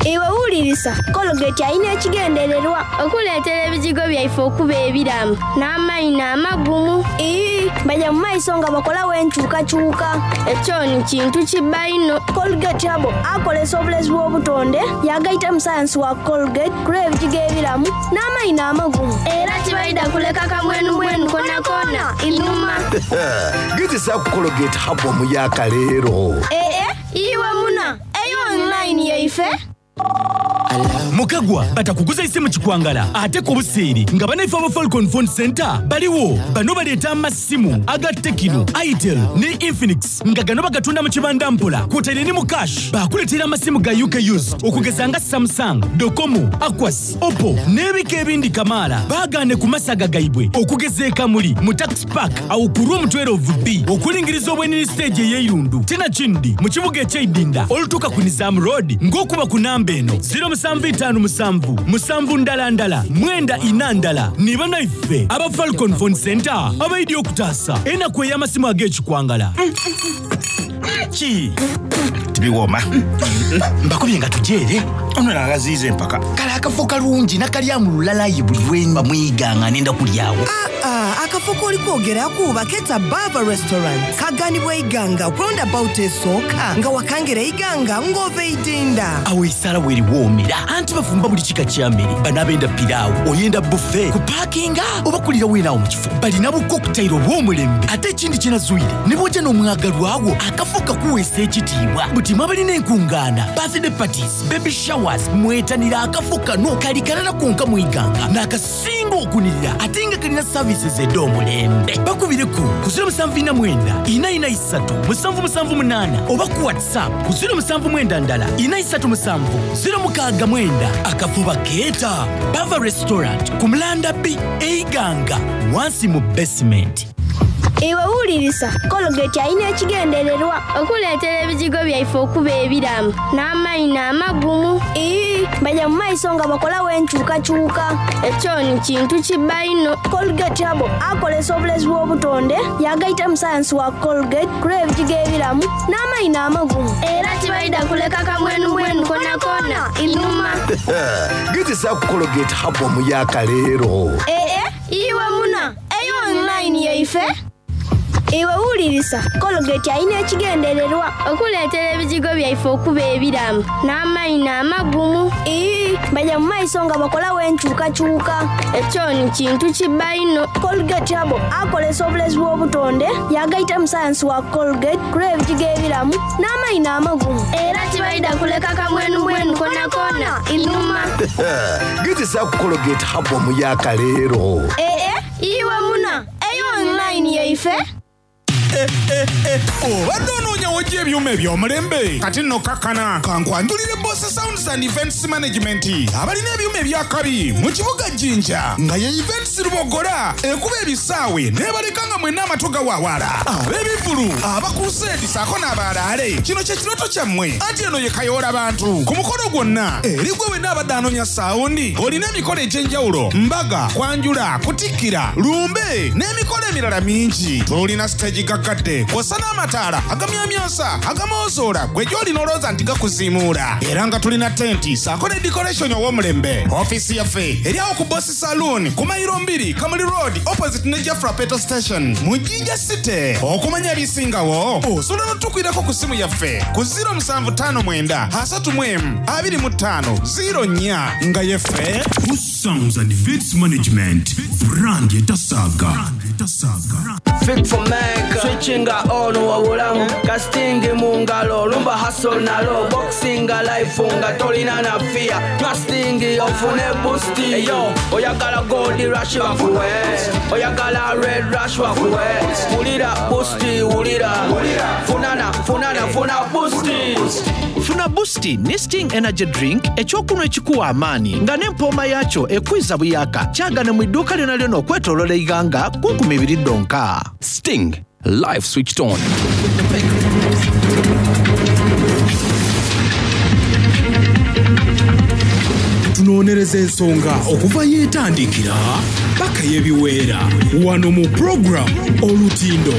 Iwe wulirisa Colgate alina ekigendererwa okuleetera ebijigo byaife okuba ebiramu n'amayina amagumu. Ii, bajja mu maiso nga bakolawo enkyukakyuka. Ekyo ni kintu kibba ino. Colgate abo akolesa obulezi bw'obutonde yagaita mu sayansi wa Colgate kula ebijigo ebiramu n'amayina amagumu. Era kibaida kuleka kamwenumwenu kona kona inuma. Gezesa ku Colgate habo omuyaka leero. Ee, iwe muna eyo online yaife. Mukagwa batakuguza isimu kikwangala ate ku buseeri nga banaife aba Falcon Phone Center baliwo. Bano baleeta amasimu aga Tecno, Itel ne Infinix nga gano bagatunda mu kibanda mpola kwotaire ne mu cash. Bakuleetera amasimu ga U K used okugeza nga Samsung, Docomo, Aquas, Oppo n'ebika ebindi kamaala. Baagaane ku masaga gaibwe okugeza e Kamuli mu Tax Park awo ku room twelve B okulingiriza obwenini stage ey'eirundu. Tena kindi mu kibuga eky'eidinda olutuuka ku Nizam Road ng'okuba ku namba eno ziro musanvu itaano musanvu musanvu ndala ndala mwenda ina ndala. Ni banaife aba Falcon Phone Center abaidi okutaasa enaku ey'amasimu ag'ekikwangala. Ki tibiwooma mbakubye nga tujeere ono nagaziiza empaka. Kale akafo kalungi nakalyamu lulalayi buli lwe mwiganga nenda kulyawo. Ah, akafo k'oli kwogeraku baketa Bava Restaurant kaganibwa iganga roundabout esooka nga wakangera iganga ng'ova eidinda. Awo esala weeriwoomera anti bafumba buli kika kya mmere. Bano abenda piraawo oyenda buffet kupaakinga oba kulira weenaawo mu kifo. Balina bu cocktail obw'omulembe ate ekindi kyenazuire ne bw'ojja n'omwagalwawo akafo kakuweesa ekitiibwa. Buti mwabalina enkungaana birthday parties, baby showers, mwetanira akafo kano kali kalala konka mu iganga n'akasinga okunirira ate nga kalina services ed'omulembe. Bakubireku ku ziro musanvu ina mwenda ina ina isatu musanvu musanvu munaana oba ku WhatsApp ku ziro musanvu mwenda ndala ina isatu musanvu ziro mukaaga mwenda. Akafo bakeeta Bava Restaurant ku Mulanda B eiganga wansi mu basement. Iwe wulirisa Colgate alina ekigendererwa okuleetera ebijigo byaife okuba ebiramu n'amayina amagumu. Ii, bajja mu maiso nga bakolawo enkyukakyuka. Ekyo ni kintu kibba ino. Colgate abo akolesa obulezi bw'obutonde yagaita mu sayansi wa Colgate kula ebijigo ebiramu n'amayina amagumu. Era kibaida kuleka kamwenumwenu kona kona inuma. Gezesa ku Colgate habo omuyaka leero. Ee, iwe muna eyo online yaife. Iwe wulirisa Colgate alina ekigendererwa okuleetera ebijigo byaife okuba ebiramu n'amayina amagumu. Ii, bajja mu maiso nga bakolawo enkyukakyuka. Ekyo ni kintu kibba ino. Colgate abo akolesa obulezi bw'obutonde yagaita mu sayansi wa Colgate kula ebijigo ebiramu n'amayina amagumu. Era kibaida kuleka kamwenumwenu kona kona inuma. Gezesa ku Colgate habo omuyaka leero. Ee, iwe muna eyo online yaife. eh, eh, eh. Obadde onoonya wojja ebyuma eby'omulembe, kati nno kakkana kankwanjulire Boss Sounds and Events Management, abalina ebyuma ebyakabi mu kibuga Jinja, nga ye Events Lubogola ekuba ebisaawe n'ebaleka nga mwenna amatu gawaawala. Ab'ebivvulu, abakuruseedi saako n'abalaale, kino kye kirooto kyammwe, anti eno ye kayoola bantu ku mukolo gwonna. Eri gwe wenna abadde anoonya sound, olina emikolo egy'enjawulo, mbaga, kwanjula, kutikkira, lumbe n'emikolo emirala mingi. Tulina siteegi gaggadde kw'ossa n'amataala agamyamyansa agamozoola gwe gy'olina olowooza nti gakuziimuula, era nga tulina tenti saako ne decoration ow'omulembe. Ofiisi yaffe eri awo ku Boss Saloon ku mayiro mbiri, Kamuli Road, opposite ne Jafra Petrol Station mu Jinja City. Okumanya ebisingawo osobola n'otukwirako ku ssimu yaffe ku zero musanvu ttaano mwenda asatu mu emu abiri mu ttaano zero nnya, nga yeffe Boss Sounds and Events Management, brand etasaga. Fit for make switchinga on wabulamu casting mu ngalo lumba hustle nalo boxing life nga tolina na fear trusting ofune boost. Eyo oyagala gold rush bakuwe, oyagala red rush bakuwe, wulira boost, wulira funana funana funa boost. Funa Boost ne Sting Energy Drink, ekyokunywa ekikuwa amaanyi nga n'empooma yaakyo ekwiza buyaka. Kyagane mu idduuka lyona lyona okwetoolola iganga ku nkumi biri ddonka. Sting, life switched on. Tunoonyereza ensonga okuva yeetandikira paka yebiweera wano mu program Olutindo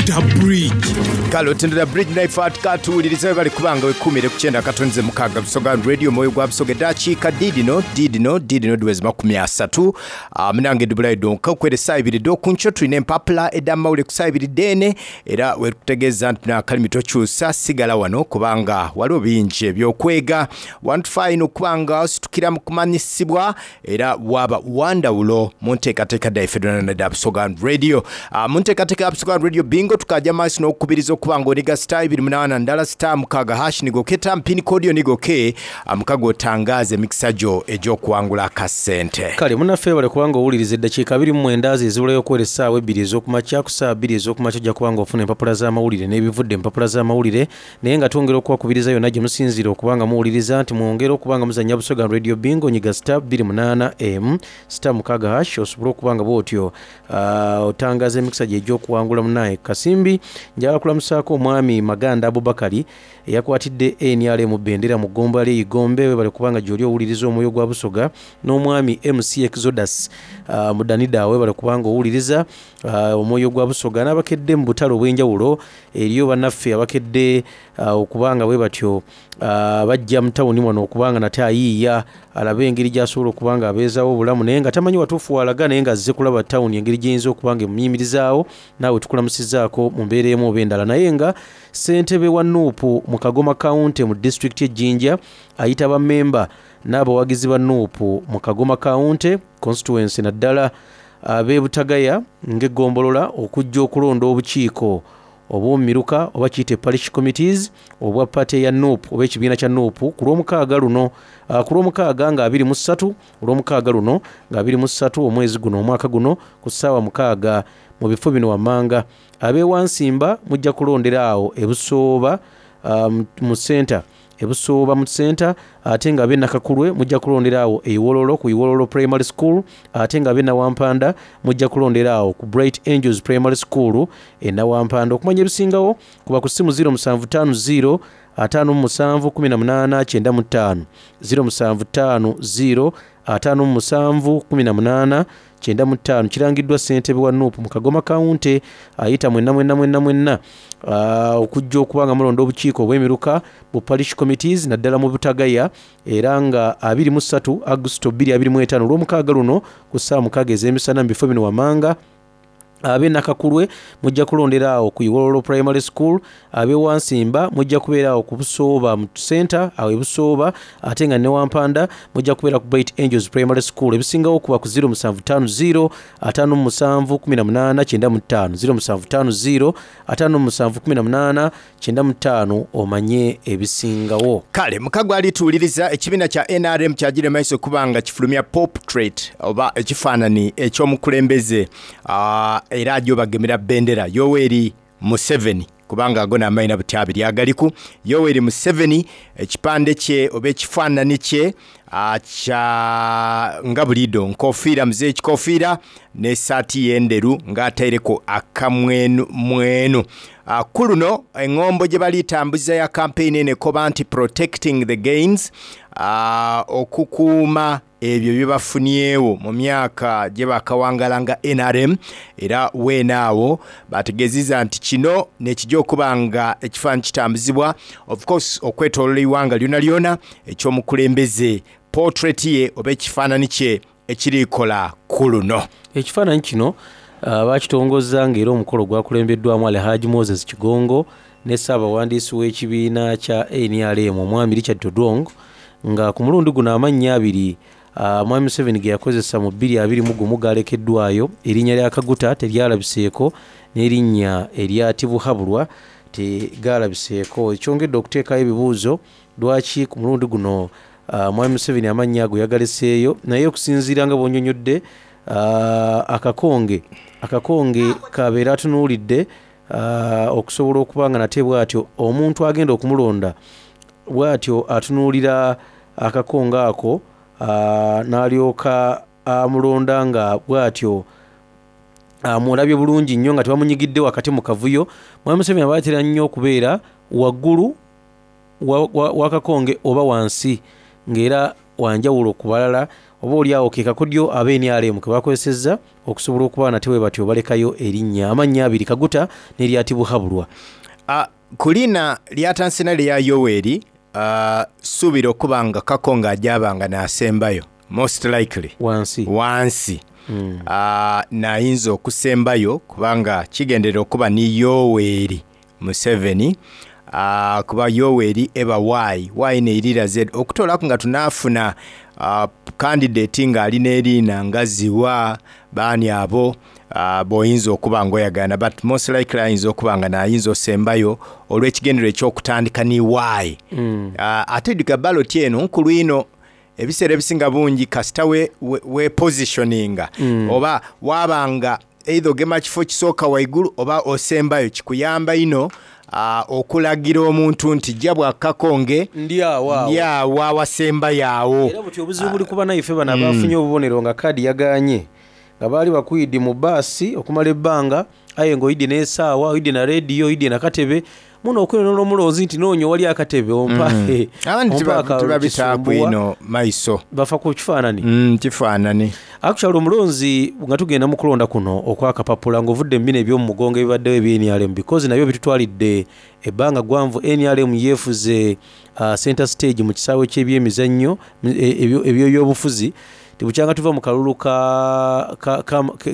The Bridge. Kale Olutindo The Bridge, naife katuwuliriza we bali kubanga wekumire ku kyenda katonze mukaaga Busoga Radio, omwoyo gwa Busoga. Eddakiika diidino diidino diidino diwezi makumi asatu. Ah, munange dubulayo donka okwera essaawa ibiri dookunkyo tulina empapula ed'amawulire ku ssaawa ibiri deene, era wekutegeeza nti nakalimi tokyusa, sigala wano kubanga waliwo bingi ebyokwega. Wantufaayina okubanga ositukira mu kumanyisibwa era waba wandawulo mu nteekateeka daife donna da Busoga Radio. Ah, mu nteekateeka ya Busoga Radio Bingo tukajja maaso n'okukubiriza okuba nga oniga star ibiri munaana ndala star mukaaga hash nigoketa mpini kodiyo nigoke mukago otangaza emikisa gyo egy'okuwangula akasente. Kale munaffe bale kubanga owuliriza, eddakiika abiri mu mwenda ze ezibulayo okwera essaawa ebbiri ez'okumakya. Ku ssaawa bbiri ez'okumakya ojja kubanga ofuna empapula z'amawulire n'ebivudde empapula z'amawulire, naye nga twongera okubakubiriza yonna gye musinziira okubanga muwuliriza nti mwongere okubanga muzannya Busoga Radio Bingo. Nyiga star bbiri munaana m star mukaaga hash osobole okubanga bwotyo uh, otangaza emikisa gye egy'okuwangula. Munaye kasimbi, njagala kulamusaako omwami Maganda Abubakari eyakwatidde N R M bendera mu ggomba ly'Eigombe, webale kubanga gy'oli owuliriza omwoyo gwa Busoga, n'omwami M C Exodus uh, Mudanida, webale kubanga owuliriza uh, omwoyo gwa Busoga, n'abakedde mu butale obw'enjawulo. Eriyo bannaffe abakedde uh, okubanga bwe batyo uh, bajja mu tawuni wano okubanga nate ayiiya alabe engeri gy'asobola okuba nga abeezaawo obulamu, naye nga tamanyi watuufu walaga, naye nga azze kulaba tawuni engeri gy'eyinza okuba nga emuyimirizaawo. Naawe tukulamusizaako mu mbeera emu oba endala. Naye nga ssentebe wa N U P mu Kagoma County mu disitulikiti ejjinja ayita bammemba n'abawagizi ba N U P mu Kagoma County constituency, naddala ab'e Butagaya ng'eggombolola, okujja okulonda obukiiko obw'omumiruka oba kiyite parish committees obwa party ya N U P oba ekibiina kya N U P ku lwomukaaga luno, uh, ku lwomukaaga nga abiri mu ssatu, olwomukaaga luno nga abiri mu ssatu omwezi guno omwaka guno ku ssaawa mukaaga mu bifo bino wammanga. Ab'ewansimba mujja kulondera awo Ebusooba um, mu center, Ebusooba mu center, ate nga ab'e Nakakulwe mujja kulondera awo Eiwololo ku Iwololo Primary School, ate nga ab'e Nawampanda mujja kulondera awo ku Bright Angels Primary School e Nawampanda. Okumanya ebisingawo kuba ku ssimu zero musanvu ttaano zero ataano mu musanvu kumi na munaana kyenda mu ttaano, zero musanvu ttaano zero ataano mu musanvu kumi na munaana kyenda mu ttaano. Kirangiddwa ssentebe wa N U P mu Kagoma County, ayita mwenna mwenna mwenna mwenna uh, okujja okuba nga mulonda obukiiko obw'emiruka bu parish committees naddala mu Butagaya, era nga abiri mu ssatu Agusto bbiri abiri mu ttaano, olw'omukaaga luno ku ssaawa mukaaga ez'emisana mu bifo bino wammanga. Ab'e Nakakulwe mujja kulondera awo ku Iwololo Primary School, ab'e Wansimba mujja kubeera awo ku Busooba mu center awo e Busooba, ate nga ne Wampanda mujja kubeera ku Bright Angels Primary School. Ebisingawo kuba ku zero musanvu ttaano zero ataano mu musanvu kumi na munaana kyenda mu ttaano, zero musanvu ttaano zero ataano mu musanvu kumi na munaana kyenda mu ttaano, omanye ebisingawo. Kale mukago alituwuliriza, ekibiina kya N R M kyagire maiso kubanga kifulumya portrait oba ekifaanani eky'omukulembeze, ah, era ajja obagemera bendera Yoweri Museveni, kubanga ago n'amaina buti abiri agaliku. Yoweri Museveni, ekipande kye oba ekifaanani kye kya nga buliido nkofiira, muzeeyi ekikofiira n'esaati y'enderu ng'ataireko akamwenu mwenu. Ku luno eŋŋombo gye balitambuza ya campaign eno ekoba nti protecting the gains, okukuuma ebyo bye bafunyeewo mu myaka gye bakawangala nga N R M. Era weenaawo bategeezezza nti kino nekijja okuba nga ekifaananyi kitambuzibwa of course okwetooloola eiwanga lyona lyona, ekyomukulembeze portrait ye oba ekifaananyi kye ekirikola ku luno. Ekifaananyi kino bakitongoza ng'era omukolo gwakulembeddwamu Alhaji Moses Kigongo ne ssaabawandiisi w'ekibiina kya N R M omwami Richard Todwong, nga ku mulundi guno amannya abiri Mwami Museveni ge yakozesa mu bbiri abiri mu gumu galekeddwayo. Erinnya lya Kaguta teryalabiseeko n'erinnya erya Tibuhaburwa tegalabiseeko, ekyongedde okuteekayo ebibuuzo lwaki ku mulundi guno Mwami Museveni amannya ago yagaleseeyo. Naye okusinziira nga bw'onnyonnyodde, akakonge akakonge kabeera atunuulidde okusobola okuba nga nate bw'atyo omuntu agenda okumulonda bw'atyo atunuulira akakonge ako n'alyoka amulonda nga bw'atyo amulabye bulungi nnyo nga tebamunyigidde wakati mu kavuyo. Mwami Museveni abaatera nnyo okubeera waggulu w'akakonge oba wansi ng'era wanjawulo ku balala, oba oli awo ke kakodyo aba N R M ke bakozesezza okusobola okuba nate bwe batyo balekayo erinnya amannya abiri, Kaguta n'erya Tibuhaburwa. Ku linna lyatansi lya Yoweri, suubira okuba nga Kakonge ajabanga n'asembayo most likely wansi wansi mm. Nayinza okusembayo kubanga kigenderera okuba ni Yoweri Museveni, uh, kuba Yoweri eba Y Y neirira Z okutolaku nga tunafuna uh, candidate nga alina erina nga ziwa baani abo uh, boyinza okuba nga oyagana, but most likely ayinza okuba nga nayinza osembayo olw'ekigendero ekyokutandika ni Y. mm. uh, ate dika ballot eno nkulu ino ebiseera ebisinga bungi kasita we, we, we positioninga mm. oba wabanga either ogema kifo kisooka waigulu oba osembayo, kikuyamba ino uh, okulagira omuntu nti jja bwakakonge ndi awo awasembayo awo. Era buti obuzibu buli kuba naife bano abafunye obubonero nga kaadi yaganye, nga baali bakuyidi mu baasi okumala ebbanga, aye ng'oyidde n'essaawa, oyidde na rediyo, oyidde na katebe, muno okwenona omulonzi nti noonyo wali akatebe ompa abandi tebabitaaku ino maiso bafa ku kifaanani mm, kifaanani. Actually omulonzi nga tugenda mu kulonda kuno okwakapapula ng'ovudde mu bino eby'omu mugongo ebibaddewo ebya N R M, because nabyo bitutwalidde ebbanga gwanvu. N R M yeefuze uh, center stage mu kisaawe ky'ebyemizannyo eby'ebyobufuzi tebukyanga tuva mu kalulu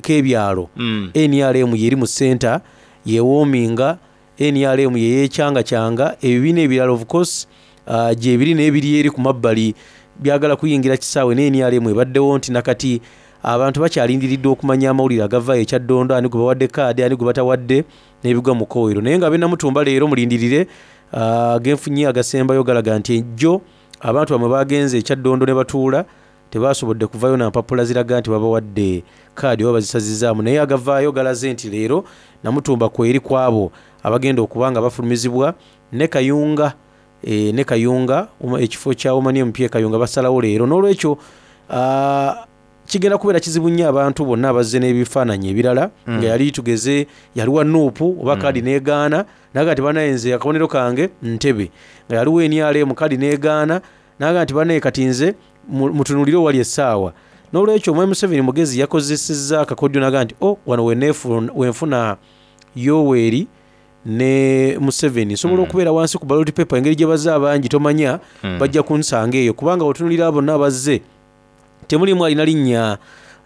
k'ebyalo. mm. N R M yeri mu center yewoominga, N R M yeyekyanga-kyanga, ebibiina ebirala of course uh, gyebiri n'ebiri eri ku mabbali byagala kuyingira kisaawe, ne N R M ebaddewo nti nakati abantu bakyalindiridde okumanya amawulire agavaayo ekya Ddondo, ani gwe bawadde kaadi, ani gwe batawadde, n'ebigwa mu kkoowero. Naye nga Bennamutumba leero mulindirire uh, genfunye agasembayo galaga nti ejjo abantu bamwe bagenze ekya Ddondo ne batuula, tebasobodde kuvayo na mpapula ziraga nti babawadde kaadi oba bazisazizaamu. Naye agavaayo galaze nti leero Namutumba kweri kwabo abagenda okuba nga bafulumizibwa ne Kayunga, e, ne Kayunga ekifo kya Omani M P Kayunga basalawo leero. N'olwekyo uh, kigenda kubeera kizibu nnyo abantu bonna abazze n'ebifaananyi ebirala, mm. nga yali tugeze yali wa Nuupu oba mm. kaadi n'egaana naga nti banaye nze akabonero kange Ntebe, nga yaliwo N R M kaadi n'egaana naga nti banaye kati nze mutunuulire wali essaawa. N'olwekyo Mwami Museveni mugezi yakozesezza akakodyo naga nti o wano wenfuna Yoweri ne Museveni nsobola mm. okubeera wansi ku ballot paper, engeri gye bazze abangi tomanya mm. bajja kunsanga eyo, kubanga otunuulira bonna abazze temulimu alina linnya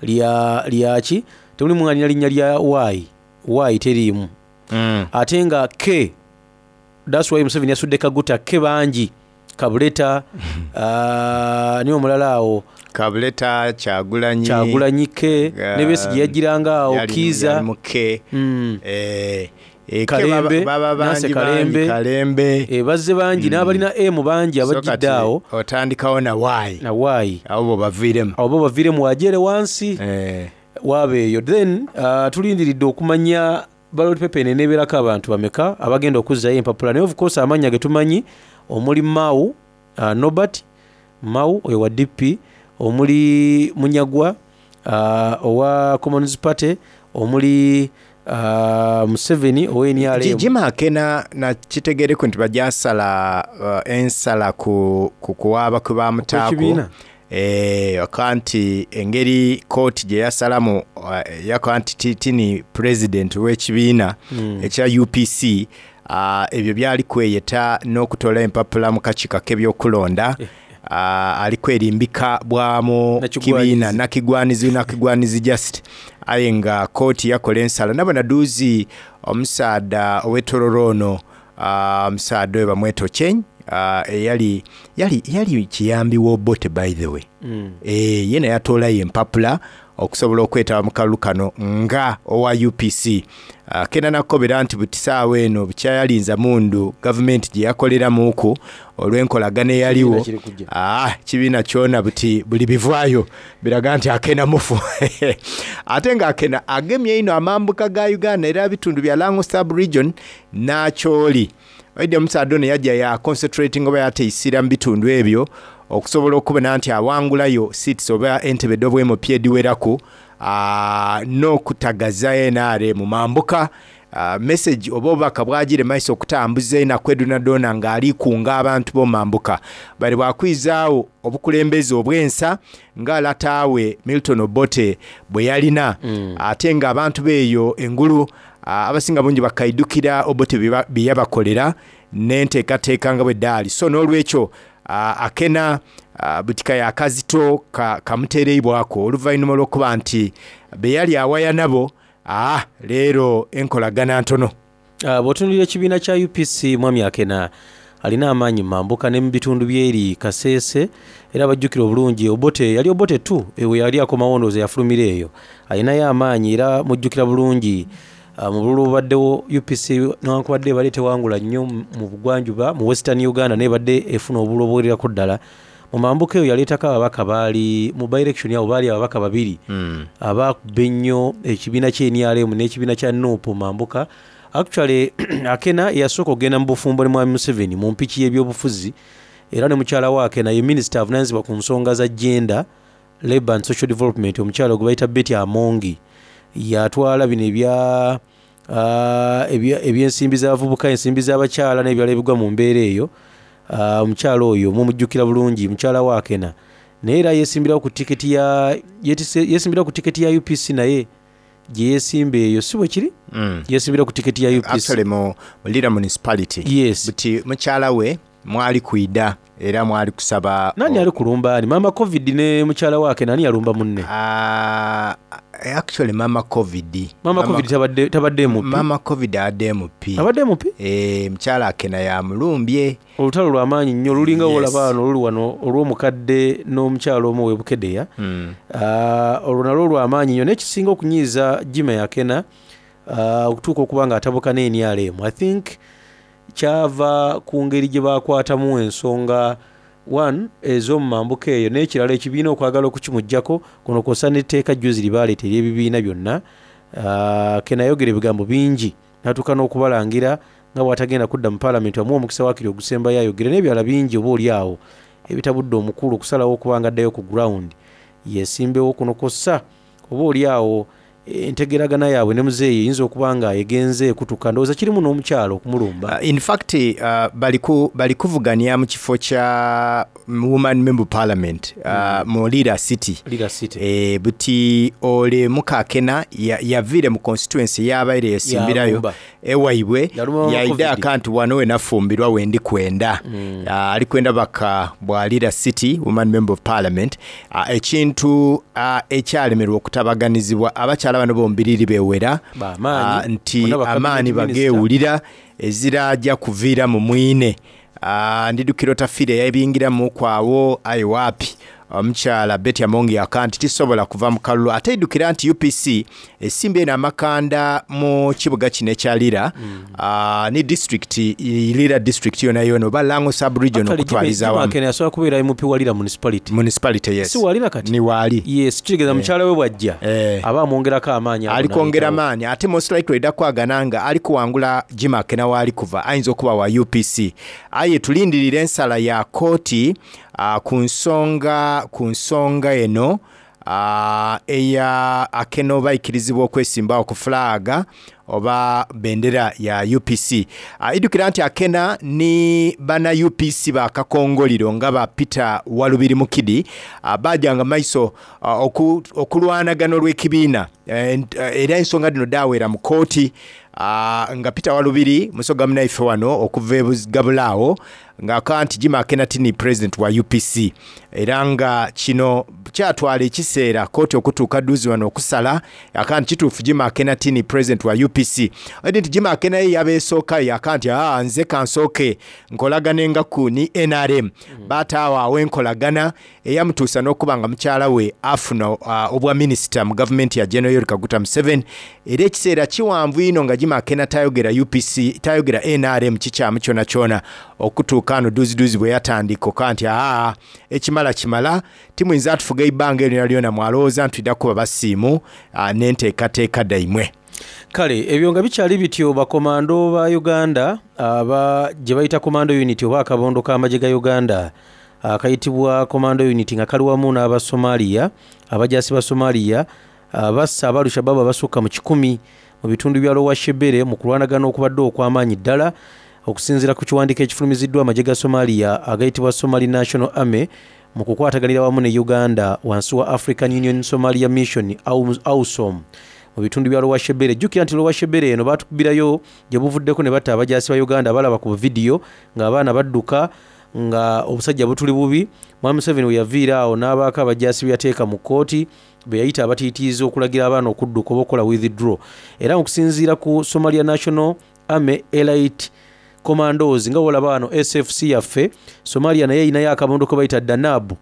lya lyaki, temulimu alina linnya lya Y, Y teriimu mm. ate nga K, that's why Museveni yasudde Kaguta K bangi, Kabuleta uh, niwe omulala awo Kabuleta, Kyagulanyi Kyagulanyi K uh, ne Besigye yagiranga awo Kiiza K mm. eh, e, Kalembe, baba Nancy bangi bangi Kalembe, Kalembe e, bazze bangi mm. n'abalina M bangi abajjidde awo, otandikawo na Y na Y abo bo baviiremu abo bo baviiremu wajere wansi eh. wabeeyo. Then uh, tulindiridde okumanya Ballot paper eno eneebeerako abantu bameka abagenda okuzzayo empapula. Naye of course amannya ge tumanyi omuli Mao, uh, Norbert Mao oyo wa D P, omuli Munyagwa uh, owa Commons Party, omuli uh, Museveni owa N R M. Jima Akena nakitegeereku nti bajasala uh, ensala ku, ku kuwaaba kwe bamutaako. Okw'ekibiina? Eh, aka nti engeri kooti gye yasalamu uh, yakola nti ti- tini president w'ekibiina Mm. ekya U P C, uh, ebyo byali kweyeta n'okutola empapula mu kakiiko k'ebyokulonda, uh, ali kwerimbika bwamu Nakigwanizi. kibiina nakigwanizi nakigwanizi just, aye nga kooti yakola ensala. Nabona duuzi omusaada ow'etororo ono, uh, omusaada oyo bamweta Ocheng, uh, eyali yali yali kiyambi w'Obote, by the way. Mm. Eh, ye naye atoolayo empapula okusobola okwetaba mu kalulu kano nga owa U P C. uh, kena nakobera nti buti saawa eno bukyayalinza mundu gavumenti gye yakoleramuku olw'enkolagana eyaliwo. Kibiina kiri kujja. Ah, kibiina kyona buti buli bivaayo biraga nti Akena mufu, ate nga Akena agemye ino amambuka ga Uganda era bitundu bya Lango sub region n'Akyoli. Oidde omusaadde ono yajja ya concentrating oba yateisira mu bitundu ebyo okusobola okubona nti awangulayo seats oba entebe ed'obwemp ediweraku, ah, n'okutagaza N R M mu mambuka. Uh, message oba obubaka bwagire maiso okutambuza enaku edonadona ng'ali kunga abantu b'omambuka bali bwakwizaawo obukulembeze obwensa nga lataawe Milton Obote bwe yalina, Mm. ate ng'abantu beeyo engulu uh, abasinga bungi bakaidukira Obote bye bye yabakolera n'enteekateeka nga bwe ddaali. So n'olwekyo uh, Akena uh, butika yakazito ka, kamuteereibwako oluvannyuma lw'okuba nti be yali awaya nabo, ah, leero enkolagana ntono. Uh, bw'otunuulira ekibiina kya U P C, mwami Akena alina amaanyi mambuka ne mu bitundu byeri Kaseese, era bajjukira obulungi Obote yali Obote tu ewe yali akomawo, ndowooza yafulumira eyo, alinayo amaanyi. Era mujjukira bulungi uh, mu bululu obubaddewo U P C newankubadde ebadde tewangula nnyo mu bugwanjuba mu Western Uganda, naye ebadde efuna obululu obuwererako ddala. Mu mambuka eyo yaleetako ababaka, baali mu by-election abo baali ababaka babiri mm. abakuba ennyo ekibiina kya N R M n'ekibiina kya NUP mambuka. Actually Akena yasooka okugenda mu bufumbo ne mwami Museveni mu mpiki y'ebyobufuzi, era ne mukyala we Akena ye minisita avunaanyizibwa ku nsonga za gender, labour and social development, omukyala gwe bayita Betty Amongi, yatwala bino ebya ah, ebya- ebyensimbi z'abavubuka, ensimbi z'abakyala n'ebirala ebigwa mu mbeera eyo. Ah, omukyala oyo mumujjukira bulungi, mukyala wa Akena, naye era yesimbirawo ku tiketi ya yetise- yesimbirawo ku tiketi ya U P C, naye gye yesimba eyo si bwe kiri? Mm. Yesimbira ku tiketi ya U P C. Actually mu mu Lira municipality. Yes. Buti mukyala we mwali kwida era mwali kusaba. Nani ali kulumba ani? Mama Covid ne mukyala we Akena, ani yalumba munne? uh, actually mama Covid. Mama Covid tabadde tabadde M P. Mama Covid abadde M P. Abadde M P. Eh, mukyala Akena yamulumbye. Olutalo lwamaanyi nnyo, lulinga Yes. wolaba wano oluli wano olw'omukadde n'omukyala omu webukedeya. Mm. Ah, olwo nalwo lwamaanyi nnyo, naye kisinga okunyiiza Jima Yakena ah, okutuuka okuba nga atabuka ne N R M, I think kyava ku ngeri gye bakwatamu ensonga one ez'omu mambuka eyo, n'ekirala ekibiina okwagala okukimuggyako kuno kwossa n'etteeka jjuzi lyebaleeta ery'ebibiina byonna. Ah, Kenayogera ebigambo bingi n'atuuka n'okubalangira nga bw'atagenda kudda mu paalamenti, amuwa omukisa waakiri ogusembayo ayogere n'ebirala bingi oba oli awo ebitabudde omukulu okusalawo okuba nga addayo ku ground yesimbewo kuno, kwossa oba oli awo entegeragana yaabwe ne muzeeyi eyinza okuba nga egenze ekutuka, ndowooza kirimu n'omukyalo okumulumba. Uh, in fact uh, baliku bali kuvuganya mu kifo kya woman member parliament uh, mu Lira City. Lira City. E, buti ole mukakena ya- yaviire mu constituency yabaire yesimbirayo Yalumba. ewaibwe. Yalumba mama Yaida Covid. akantu wano we nafumbirwa wendi kwenda. Mm. uh, ali kwenda baka bwa Lira City woman member of parliament, uh, ekintu uh, ekyalemerwa okutabaganizibwa abakyala bano bombiriri bewera. Bamaanyi. Ah, nti Bonna ba amaanyi cabinet minister. bagewulira ezirajja kuviira mu mwine. Ah, ndidukira otafiire yabingiramu kwawo aye waapi Omukyala Betty Amongi aka nti tisobola kuva mu kalulu, ate idukira nti U P C esimba eno amakanda mu kibuga kino ekya Lira, mm. uh, ni district Lira district yona yona oba Lango sub region okutwaliza awamu. Kenya asobola kubeera M P wa Lira municipality. Municipality, yes. Si walira kati? Ni wali. Yes, kitegeeza eh. Mukyala we bwajja eh. aba amwongerako amaanyi. Ali kwongera amaanyi, ate most likely edda kwagananga ali kuwangula Jim Akena waali kuva ayinza okuba wa U P C. Aye tulindirira ensala ya kooti uh, ku nsonga ku nsonga eno uh, eya Akena oba ikkirizibwa okwesimbawo ku flaga oba bendera ya U P C. Uh, idukira nti Akena ni bana U P C bakakongoliro nga ba Peter Walubiri Mukidi uh, bajanga maiso uh, oku, okulwanagana olw'ekibiina era ensonga dino dawera mu kooti. Uh, nga Peter Walubiri musoga munaife wano okuva e Gabulaawo nga aka nti Jim Akena tini president wa U P C, era nga kino kyatwala ekiseera kooti okutuuka dduzi wano okusala aka nti kituufu Jim Akena tini president wa U P C. Edi nti Jim Akena ye yabeesookayo aka nti aa nze kansooke nkolagane nga ku ni N R M. mm. Baataawo awo enkolagana eyamutuusa n'okuba nga mukyala we afuna uh, obwa minisita mu gavumenti ya General Yoweri Kaguta Museveni, era ekiseera kiwanvu ino nga Jim Akena tayogera U P C tayogera N R M kikyamu kyona kyona okutuuka ano duzi duzi bwe yatandika oka nti aa ekimala kimala timuyinza atufuga ebbanga eryo lyona mwalowooza nti tudda kuba basiimu n'enteekateeka daimwe. Kale ebyo nga bikyali bityo, bakomando ba Uganda aba gye bayita commando unit oba akabondo k'amagye ga Uganda akayitibwa commando unit nga kali wamu n'aba Somalia, abajaasi ba Somalia bassa aba Al-Shabaab abasukka mu kikumi mu bitundu bya Lower Shebere mu kulwanagana okubadde okw'amaanyi ddala okusinziira ku kiwandiiko ekifulumiziddwa amagye ga Somalia agayitibwa Somali National Army mu kukwataganira wamu ne Uganda wansi wa African Union Somalia Mission AUSOM mu bitundu bya Lower Shebere. Jjukira nti Lower Shebere eno baatukubirayo gye buvuddeko ne batta abajaasi ba Uganda balaba ku vidiyo ng'abaana badduka nga obusajja butuli bubi. Mwami Museveni we yaviira awo n'abaako abajaasi be yateeka mu kkooti be yayita abatiitiizi okulagira abaana okudduka oba okukola withdraw. Era okusinziira ku Somalia National Army Elite Commandos nga wolaba wano S F C yaffe, Somalia naye erinayo akabondo ke bayita Danab,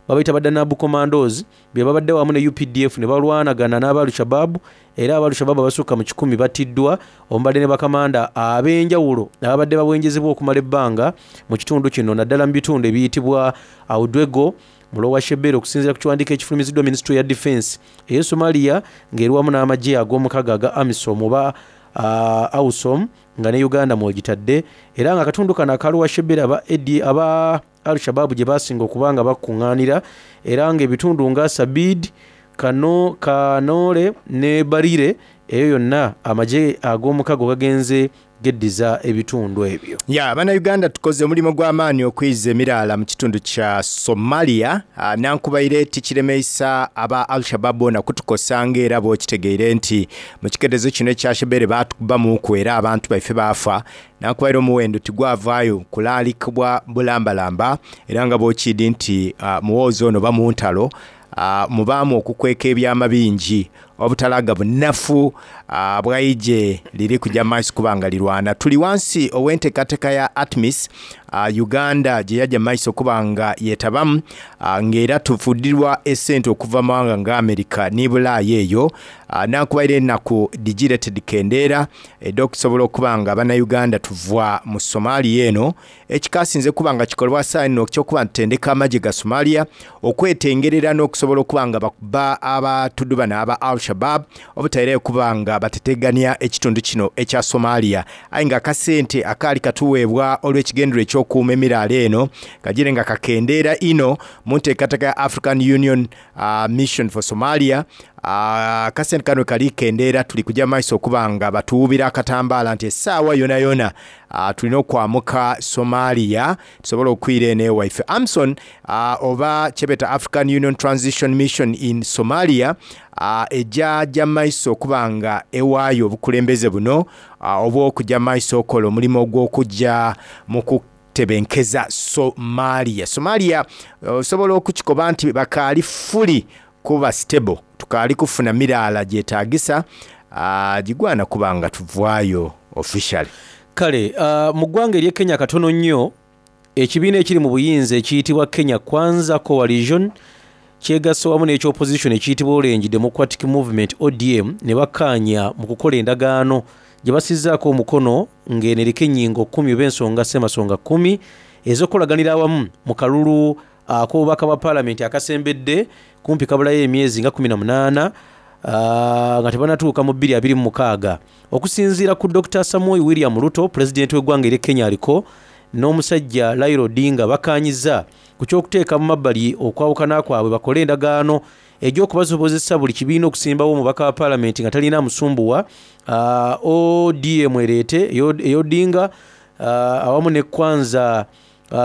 babayita ba Danab Commandos be babadde wamu ne U P D F ne balwanagana n'aba Al-Shabaab, era aba Al-Shabaab abasukka mu kikumi battiddwa omubadde ne bakamanda ab'enjawulo ababadde bawenjezebwa okumala ebbanga mu kitundu kino naddala mu bitundu ebiyitibwa Audwego mu Lower Shebere okusinziira ku kiwandiiko ekifulumiziddwa Ministry ya Defense ey'e Somalia ng'eri wamu n'amagye ag'omukaga aga AMISOM oba uh, AUSOM nga ne Uganda mwogitadde, era nga akatundu kano aka Lower Shebere aba aba Al-Shabaab gye basinga okuba nga bakuŋŋaanira, era ng'ebitundu nga Sabid, Kano, Kanole ne Barire eyo yonna amagye ag'omukago gagenze geddiza ebitundu ebyo. Ya bannayuganda tukoze omulimu gw'amaanyi okuyizza emiraala mu kitundu kya Somalia. Nankubaire tikiremeisa aba Al-Shabaab bona kutukosa ng'era bw'okitegeere nti mu kiketezo kino ekya Shebere baatukubamuku era abantu baife baafa. Nankubaire omuwendo tigwavaayo kulaalikibwa bulambalamba, era nga bw'okidi nti uh, muwoozi ono bamuntalo uh, mubaamu okukweka ebyama bingi obutalaga bunafu uh, bwaije liri kujja maiso kubanga lirwana. Tuli wansi ow'enteekateeka ya ATMIS uh, Uganda gye yajja maiso kubanga yeetabamu uh, ng'era tufudirwa essente okuva mu mawanga nga Amerika ne Bulaaya eyo. uh, Nankubaire ennaku digireted kendeera edda okusobola okuba nga bannayuganda tuva mu Somalia eno ekikasinze kuba nga kikolebwa saa eno ekyokuba ntendeka amagye ga Somalia okwetengerera n'okusobola okuba nga bakuba abatudu bano aba Al-Shabaab obutaire kuba nga bateteganya ekitundu kino ekya Somalia. Aye nga akasente akaali katuweebwa olw'ekigendero ekyokuuma emiraala eno kagire nga kakendeera ino mu nteekateeka ya African Union uh, Mission for Somalia. Akasente kano kali kendeera, tuli kujja maiso okuba nga batuwubira akatambaala nti essaawa yona yona uh, tulina okwamuka Somalia tusobole okwira eno ewaife. AMSON uh, oba kyebeta African Union Transition Mission in Somalia uh, ejja jja maiso okuba nga ewaayo obukulembeze buno uh, obw'okujja maiso okola omulimu ogw'okujja mu kutebenkeza Somalia. Somalia osobola okukikoba nti bakaali fully kuba stable, tukaali kufuna miraala gyetaagisa uh, gigwana kuba nga tuvaayo officially. Kale uh, mu ggwanga ery'e Kenya katono nnyo ekibiina ekiri mu buyinza ekiyitibwa Kenya Kwanza Coalition Kyegasse wamu n'ekyopposition ekiyitibwa Orange Democratic Movement, O D M, ne bakkaanya mu kukola endagaano gye basizzaako omukono ng'eno eriko ennyingo kkumi oba ensonga ssemasonga kkumi ez'okukolaganira awamu mu kalulu ak'obubaka bwa paalamenti akasembedde kumpi kabulayo emyezi nga kkumi na munaana, nga tebannatuuka mu bbiri abiri mu mukaaga. Okusinziira ku Dokita Samoei William Ruto, pulezidenti w'eggwanga ery'e Kenya aliko n'omusajja Raila Odinga bakkaanyizza ku ky'okuteeka mu mabbali okwawukana kwabwe bakole endagaano egy'okubasobozesa buli kibiina okusimbawo omubaka wa paalamenti nga talina musumbuwa. O D M ereete ey'Odinga, awamu ne Kwanza,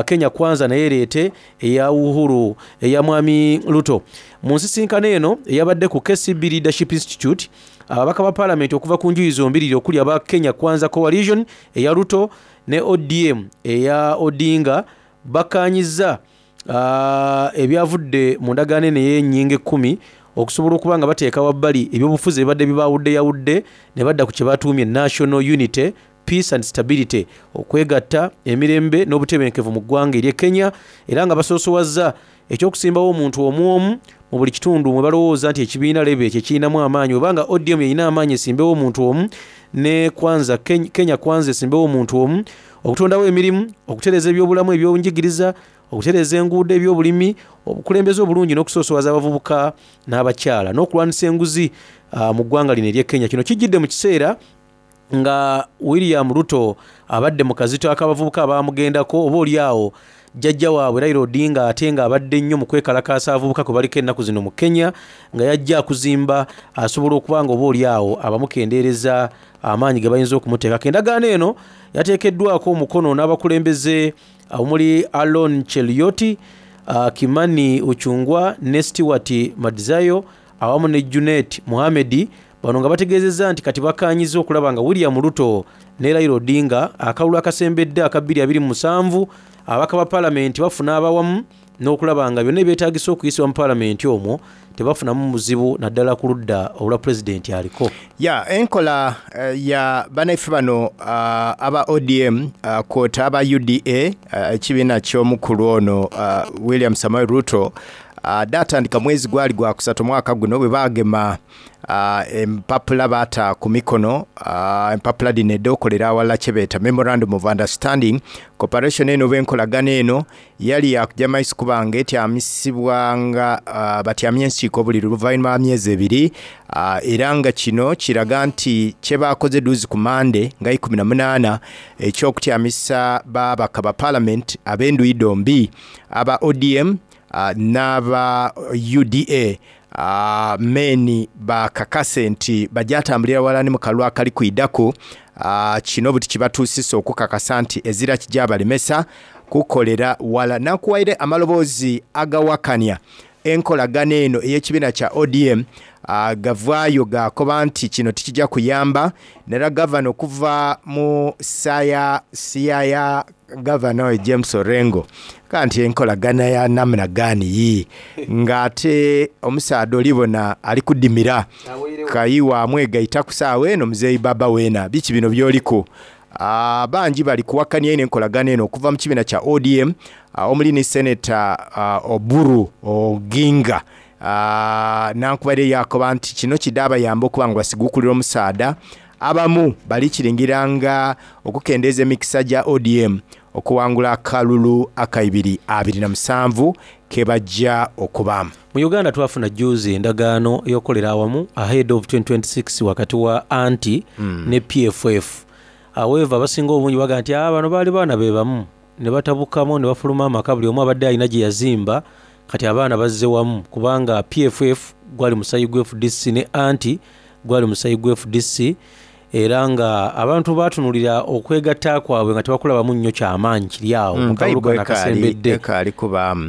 Kenya Kwanza naye ereete eya Uhuru eya Mwami Ruto. Mu nsisinkano eno eyabadde ku K C B Leadership Institute, ababaka ba paalamenti okuva ku njuyi zombiriri okuli aba Kenya Kwanza Coalition eya Ruto ne O D M eya Odinga bakkaanyizza ebyavudde mu ndagaano eno ey'ennyingo ekkumi okusobola okuba nga bateeka wabbali ebyobufuzi ebibadde bibaawuddeyawudde ne badda ku kye batuumye National Unity, Peace and Stability, okwegatta emirembe n'obutebenkevu mu ggwanga ery'e Kenya, era nga basoosowazza ekyokusimbawo omuntu omu omu mu buli kitundu mwe balowooza nti ekibiina lebe ekyo kirinamu amaanyi, oba nga O D M erina amaanyi esimbewo omuntu omu ne Kwanza, Kenya Kwanza esimbewo omuntu omu, okutondawo emirimu, okutereeza ebyobulamu ebyenjigiriza, okutereeza enguudo, ebyobulimi, obukulembeze obulungi n'okusoosowaza abavubuka n'abakyala n'okulwanyisa enguzi mu ggwanga lino ery'e Kenya. Kino kijjidde mu kiseera nga William Ruto abadde mu kazito ak'abavubuka abaamugendako oba oli awo jjajja waabwe Raila Odinga ate ng'abadde nnyo mu kwekalakaasa abavubuka kwe baliko ennaku zino mu Kenya, nga yajja akuzimba asobola okuba nga oba oli awo abamukendeereza amaanyi ge bayinza okumuteekako. Endagaano eno yateekeddwako omukono n'abakulembeze omuli Alon Cheruiyot, Kimani Ichung'wah ne Stewart Madzayo awamu ne Junet Mohamed. Bano nga bategeezezza nti kati bakkaanyizza okulaba nga William Ruto ne Raila Odinga akalulu akasembedde aka bbiri abiri mu musanvu ababaka ba paalamenti bafuna abawamu n'okulaba nga byonna ebyetaagisa okuyisibwa mu paalamenti omwo tebafunamu muzibu naddala ku ludda olwa pulezidenti aliko. Ya enkola uh, ya bannaffe bano uh, aba O D M uh, kwota aba U D A ekibiina uh, ky'omukulu ono uh, William Samoei Ruto uh, datandika mwezi gwali gwa kusatu mwaka guno bwe baagema uh, empapula baata ku mikono uh, empapula dino edookolera awalala kye beeta Memorandum of Understanding. Cooperation eno oba enkolagano eno yali yakujja maiso kubanga etyamisibwanga uh, batyamya ensiiko buli luvannyuma lwa myezi ebiri, uh, era nga kino kiraga nti kye baakoze duuzi ku Mande nga ikumi na munaana ekyokutyamisa babaka ba parliament ab'enduyi dombi aba O D M uh, n'aba U D A. Uh, meni bakakase nti bajatambulira wala ne mu kalulu akali kuidako. Uh, kino buti kibatuusisa okukakasa nti ezira kijja balemesa kukolera wala. Nakuwaire amaloboozi agawakanya enkolagano eno ey'ekibiina kya O D M uh, gavaayo gakoba nti kino tikijja kuyamba nera gavana okuva mu saya Siaya gavana oyo James Orengo kanti enkolagana ya namna gani yi ng'ate omusaadha olibona ali kudimira kayiwa amwegaita ku saawa eno muzeeyi baba weena biki bino by'oliko. Uh, bangi bali kuwakanya eno enkolagano eno okuva mu kibiina kya O D M uh, omuli ni Senator uh, Oburu Oginga uh, nankubadde yakoba nti kino kidaabayamba okuba nga basiguukulira omusaadha. Abamu bali kiringiranga okukendeeza emikisa gya O D M okuwangula akalulu akaibiri abiri na musanvu kebajja okubaamu. Mu Uganda twafuna juzi endagaano ey'okukolera awamu ahead of twenty twenty-six wakati wa anti mm. ne P F F. However, abasinga obungi baga nti bano baali baana be bamu ne batabukamu ne bafuluma amaka buli omu abadde alina gye yazimba, kati abaana bazze wamu kubanga P F F gwali musayi gwa F D C ne anti gwali musayi gwa F D C, era nga abantu baatunulira okwegatta kwabwe nga tebakulabamu nnyo kyamaanyi kiri awo mu kalulu kano akasembedde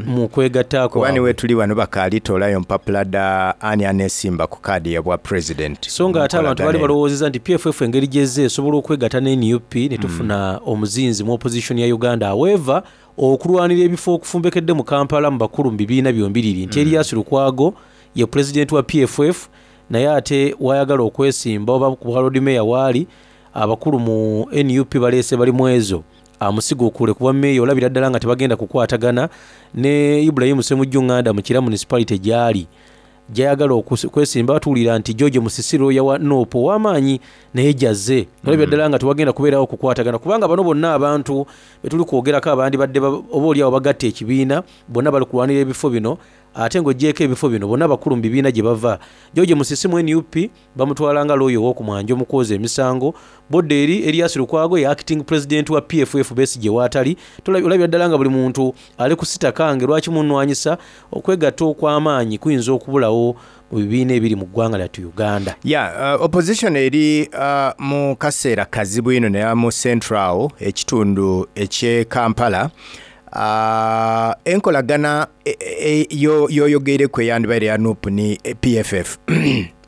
mu kwegatta kwabwe. Kuba niwe tuli wano bakaalitoolayo mpapula dda ani aneesimba ku kaadi ya bwa president. So nga ate abantu baali balowoozezza nti P F F engeri gyezze esobola okwegatta ne N U P ne tufuna omuzinzi mu opposition ya Uganda. However, okulwanira ebifo okufumbekedde mu Kampala mu bakulu mu bibiina byombiriri nti Erias Lukwago ye president wa P F F naye ate wayagala okwesimba oba ku bwa Lord Mayor waali abakulu mu N U P baleese bali mwezo Amusiguukule ku bwa meeya, olabira ddala nga tebagenda kukwatagana ne Ibrahim Ssemujju Nganda mu Kira Municipality gy'ali, gyayagala okwesimba. Batuwulira nti George Musisiro yawa N U P ow'amaanyi naye jazze. Olabira ddala nga tewagenda kubeerawo okukwatagana, kubanga bano bonna abantu betuli kwogerako abandi badde oba oliawo bagatta ekibiina, bonna bali kulwanira ebifo bino. Ate ng'ogyeko ebifo bino, bonna bakulu mu bibiina gye bava. George Musisi mu N U P bamutwala nga looya ow'okumwanja omukwoza emisango. Bodde eri Erias Lukwago ye acting president wa P F F, Besigye waatali. Olabira ddala nga buli muntu ali kusitakange lwaki munwanyisa. Okwegatta okw'amaanyi kuyinza okubulawo mu bibiina ebiri mu ggwanga lyattu Uganda. Ya, uh, opposition eri uh, mu kaseera kazibu ino, naye mu central ekitundu eky'e Kampala, uh, enkolagana yoyogeire eyandibaire ya N U P ni P F F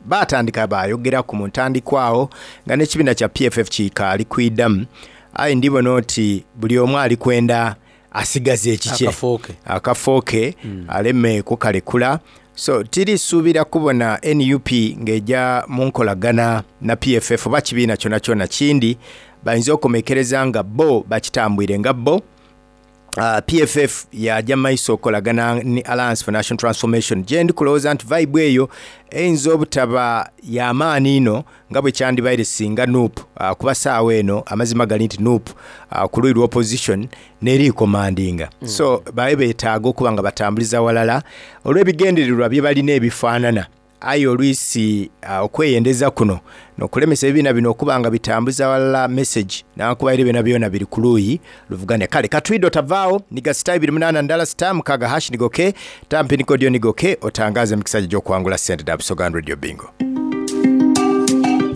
batandika bayogeraku mu ntandikwawo nga n'ekibiina kya P F F kikaali kwiddamu, aye ndibona oti buli omu ali kwenda asigaze ekikye akafooke, akafooke mm. aleme kukalekula. So tirisuubira kubona N U P ng'ejja mu nkolagana na P F F oba kibiina kyona kyona kindi. Bayinza okukomekereza nga bo bakitambwire nga bo. Uh, P F F yajja maiso okolagana ni Alliance for National Transformation, gye ndi kulowooza nti vibe eyo eyinza obutaba y'amaanyi ino nga bwe kyandibaire singa N U P, uh, kuba saawa eno amazima gali nti N U P, uh, ku luyi lwa opposition nerikomandinga mm. So babe beetaaga okuba nga batambuliza walala olw'ebigendererwa bye balina ebifaanana, aye olwisi uh, okweyendeza kuno nokulemesa ebibiina bino okuba nga bitambuza walala message, nakubaire byona byona biri ku luuyi luvuganya. Kale katwido tavaawo, niga star ibiri munana ndala star mukaga hash nigoke tampi nikodio nigoke otangaze emikisa gyo gy'okuwangula sente da Busoga Radio Bingo.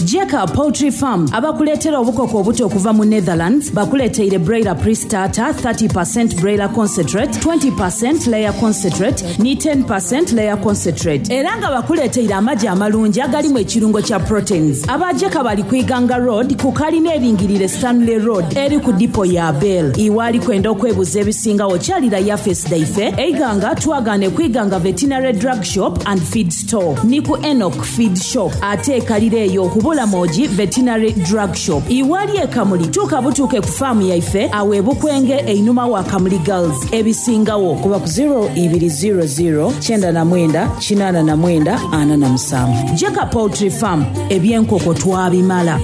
Jeka Poultry Farm abakuleetera obukoko obuto okuva mu Netherlands bakuleeteire broiler pre-starter, thirty percent broiler concentrate, twenty percent layer concentrate ni ten percent layer concentrate, era nga bakuleeteire amagi amalungi agalimu ekirungo kya proteins. Abajeka bali ku Iganga Road ku kalina eringirire Stanley Road eri ku dipo ya Bell. Iwaali kwenda okwebuza ebisingawo, kyalira yafesi daife eiganga twagane ku Iganga Veterinary Drug Shop and Feed Store ni ku Enoch Feed Shop, ate ekalira eyo Bulamogi Veterinary Drug Shop. Iwali ekamuli tuuka butuuke ku faamu yaife awo ebukwenge einuma wa Kamuli Girls. Ebisingawo kuba ku zero two zero zero nine nine eight nine four seven. Jeka Poultry Farm, ebyenkoko twabimala.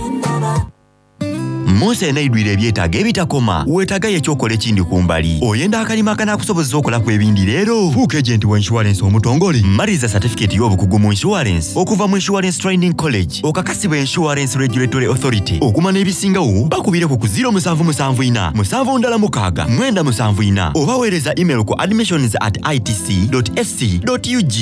Munsi enaidwire ebyetaago ebitakoma, weetaagayo ekyokola ekindi ku mbali. Oyenda akalima akanaakusobozesa okolaku ebindi leero. Fuuka agent wa insurance omutongole. Maliriza certificate y'obukugu mu insurance okuva mu Insurance Training College, okakasibwa Insurance Regulatory Authority. Okumanya ebisingawo bakubireko ku zero seven seven four seven six nine seven four oba weereza email ku admissions at itc ac ug.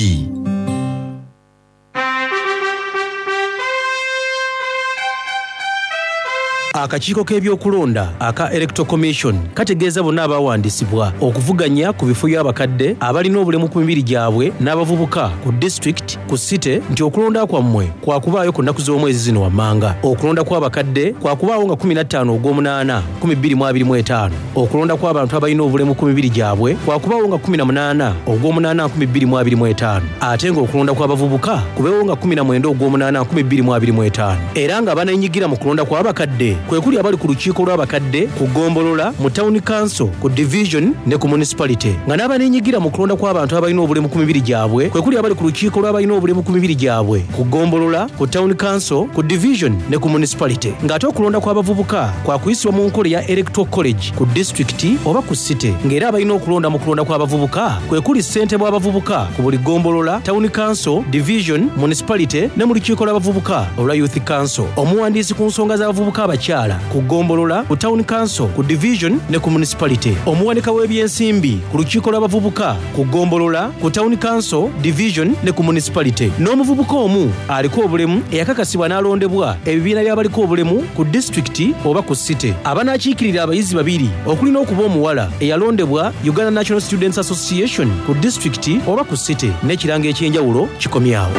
Akakiiko k'ebyokulonda aka Electoral Commission kategeeza bonna abawandiisibwa okuvuganya ku bifo by'abakadde, abalina obulemu ku mibiri gyabwe n'abavubuka ku disitulikiti, ku site, nti okulonda kwammwe kwakubaayo ku nnaku z'omwezi zino wammanga. Okulonda kw'abakadde kwakubaawo nga kkumi na ttaano ogw'omunaana twenty twenty-five. Okulonda kw'abantu abalina obulemu ku mibiri gyabwe kwakubaawo nga kkumi na munaana ogw'omunaana twenty twenty-five, ate ng'okulonda kw'abavubuka kubeewo nga kkumi na mwenda ogw'omunaana twenty twenty-five. Era nga baneenyigira mu kulonda kw'abakadde kwe kuli abali ku lukiiko lw'abakadde ku ggombolola, mu town council, ku division ne ku municipality, nga n'abaneenyigira mu kulonda kw'abantu abalina obulemu ku mibiri gyabwe kwe kuli abali ku lukiiko lw'abalina obulemu ku mibiri gyabwe ku ggombolola, ku town council, ku division ne ku municipality, ng'ate okulonda kw'abavubuka kwakuyisibwa mu nkola eya electoral college ku disitulikiti oba ku site, ng'era abalina okulonda mu kulonda kw'abavubuka kwe kuli ssentebe w'abavubuka ku buli ggombolola, town council, division, municipality ne mu lukiiko lw'abavubuka olwa youth council, omuwandiisi ku nsonga z'abavubuka abakyala ku ggombolola, ku town council, ku division ne ku municipality, omuwanika w'ebyensimbi ku lukiiko lw'abavubuka ku ggombolola, ku town council, division ne ku municipality, n'omuvubuka omu aliko obulemu eyakakasibwa n'alondebwa ebibiina by'abaliko obulemu ku disitulikiti oba ku site. Abanaakiikirira abayizi babiri, okulina okuba omuwala eyalondebwa Uganda National Students Association ku disitulikiti oba ku site. N'ekirango ekyenjawulo kikomyawo.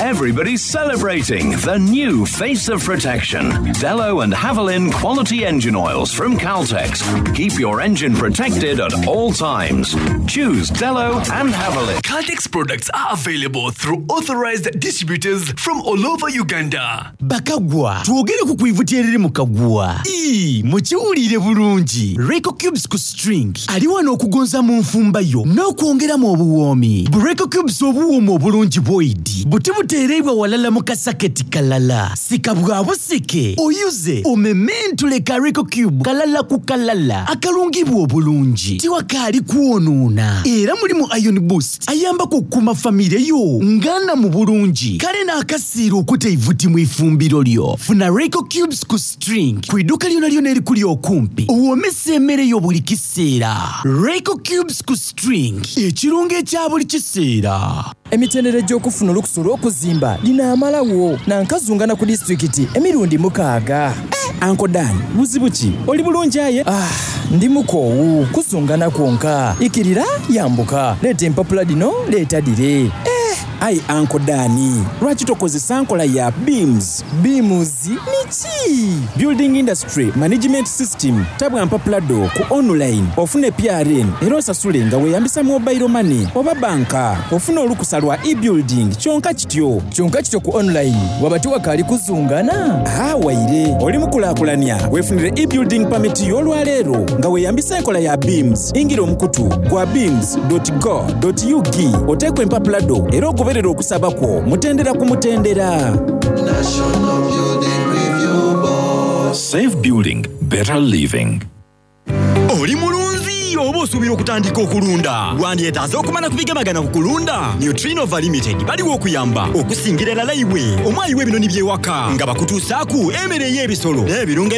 Every Everybody's celebrating the new face of protection. Dello and Havilland quality engine oils from Caltex. Keep your engine protected at all times. Choose Dello and Havilland. Caltex products are available through authorized distributors from all over Uganda. Bakagwa, twogere ku kwivuta eriri mu kagwa. Ii, mukiwulire bulungi. Reco Cubes ku string ali wano okugonza mu nfumba yo n'okwongeramu obuwoomi. Bu Reco Cubes obuwooma obulungi bwoidi buti buteereibwa walala mu kasaketi kalala. Sika bwa busike oyuze omementule ka Reco Cube kalala ku kalala akalungibwa obulungi, tiwakaali kwonoona, era mulimu iron boost ayambako okukuuma famire yo ngana mu bulungi, kale n'akasiira okuta eivuti mu ifumbiro lyo. Funa Reco Cubes ku string ku idduuka lyona lyona erikuli okumpi, owoomesa emmere yo buli kiseera. Reco Cubes ku string, ekirungo ekya buli kiseera. Emitendera egy'okufuna olukusa olw'okuzimba linaamalawo nankazungana ku disitulikiti emirundi mukaaga. Uncle Dan, buzibu ki? Oli bulungi aye? Ah, ndi mukoowu kuzungana kwonka, ikirira yambuka, leeta empapula dino, leeta dire. Eh, ayi Uncle Dan, lwaki tokozesa nkola ya BIMS? BIMS niki? Building Industry Management System. Tabwa mpapula do ku online, ofune P R N era osasule nga weeyambisa mobile money oba banka, ofune olukusa lwa e-building kyonka kityo. Kyonka kityo ku online waba tiwakaali kuzungana? Ah, waire oli mukulaakulanya, weefunire e-building permit y'olwaleero nga weeyambisa enkola ya BIMS. Ingira omukutu gwa bims dot go dot U G, oteekwa empapula do era ogoberera okusaba kwo mutendera ku mutendera. Safe building, better living. Oli mulunzi oba osuubira okutandika okulunda, wandyetaaze okumala ku bigemagana ku kulunda? Nutrinova Limited baliwo okuyamba okusingira erala iwe omwayi w'ebinoni by'ewaka nga bakutuusaaku emmere ey'ebisolo n'ebirungo.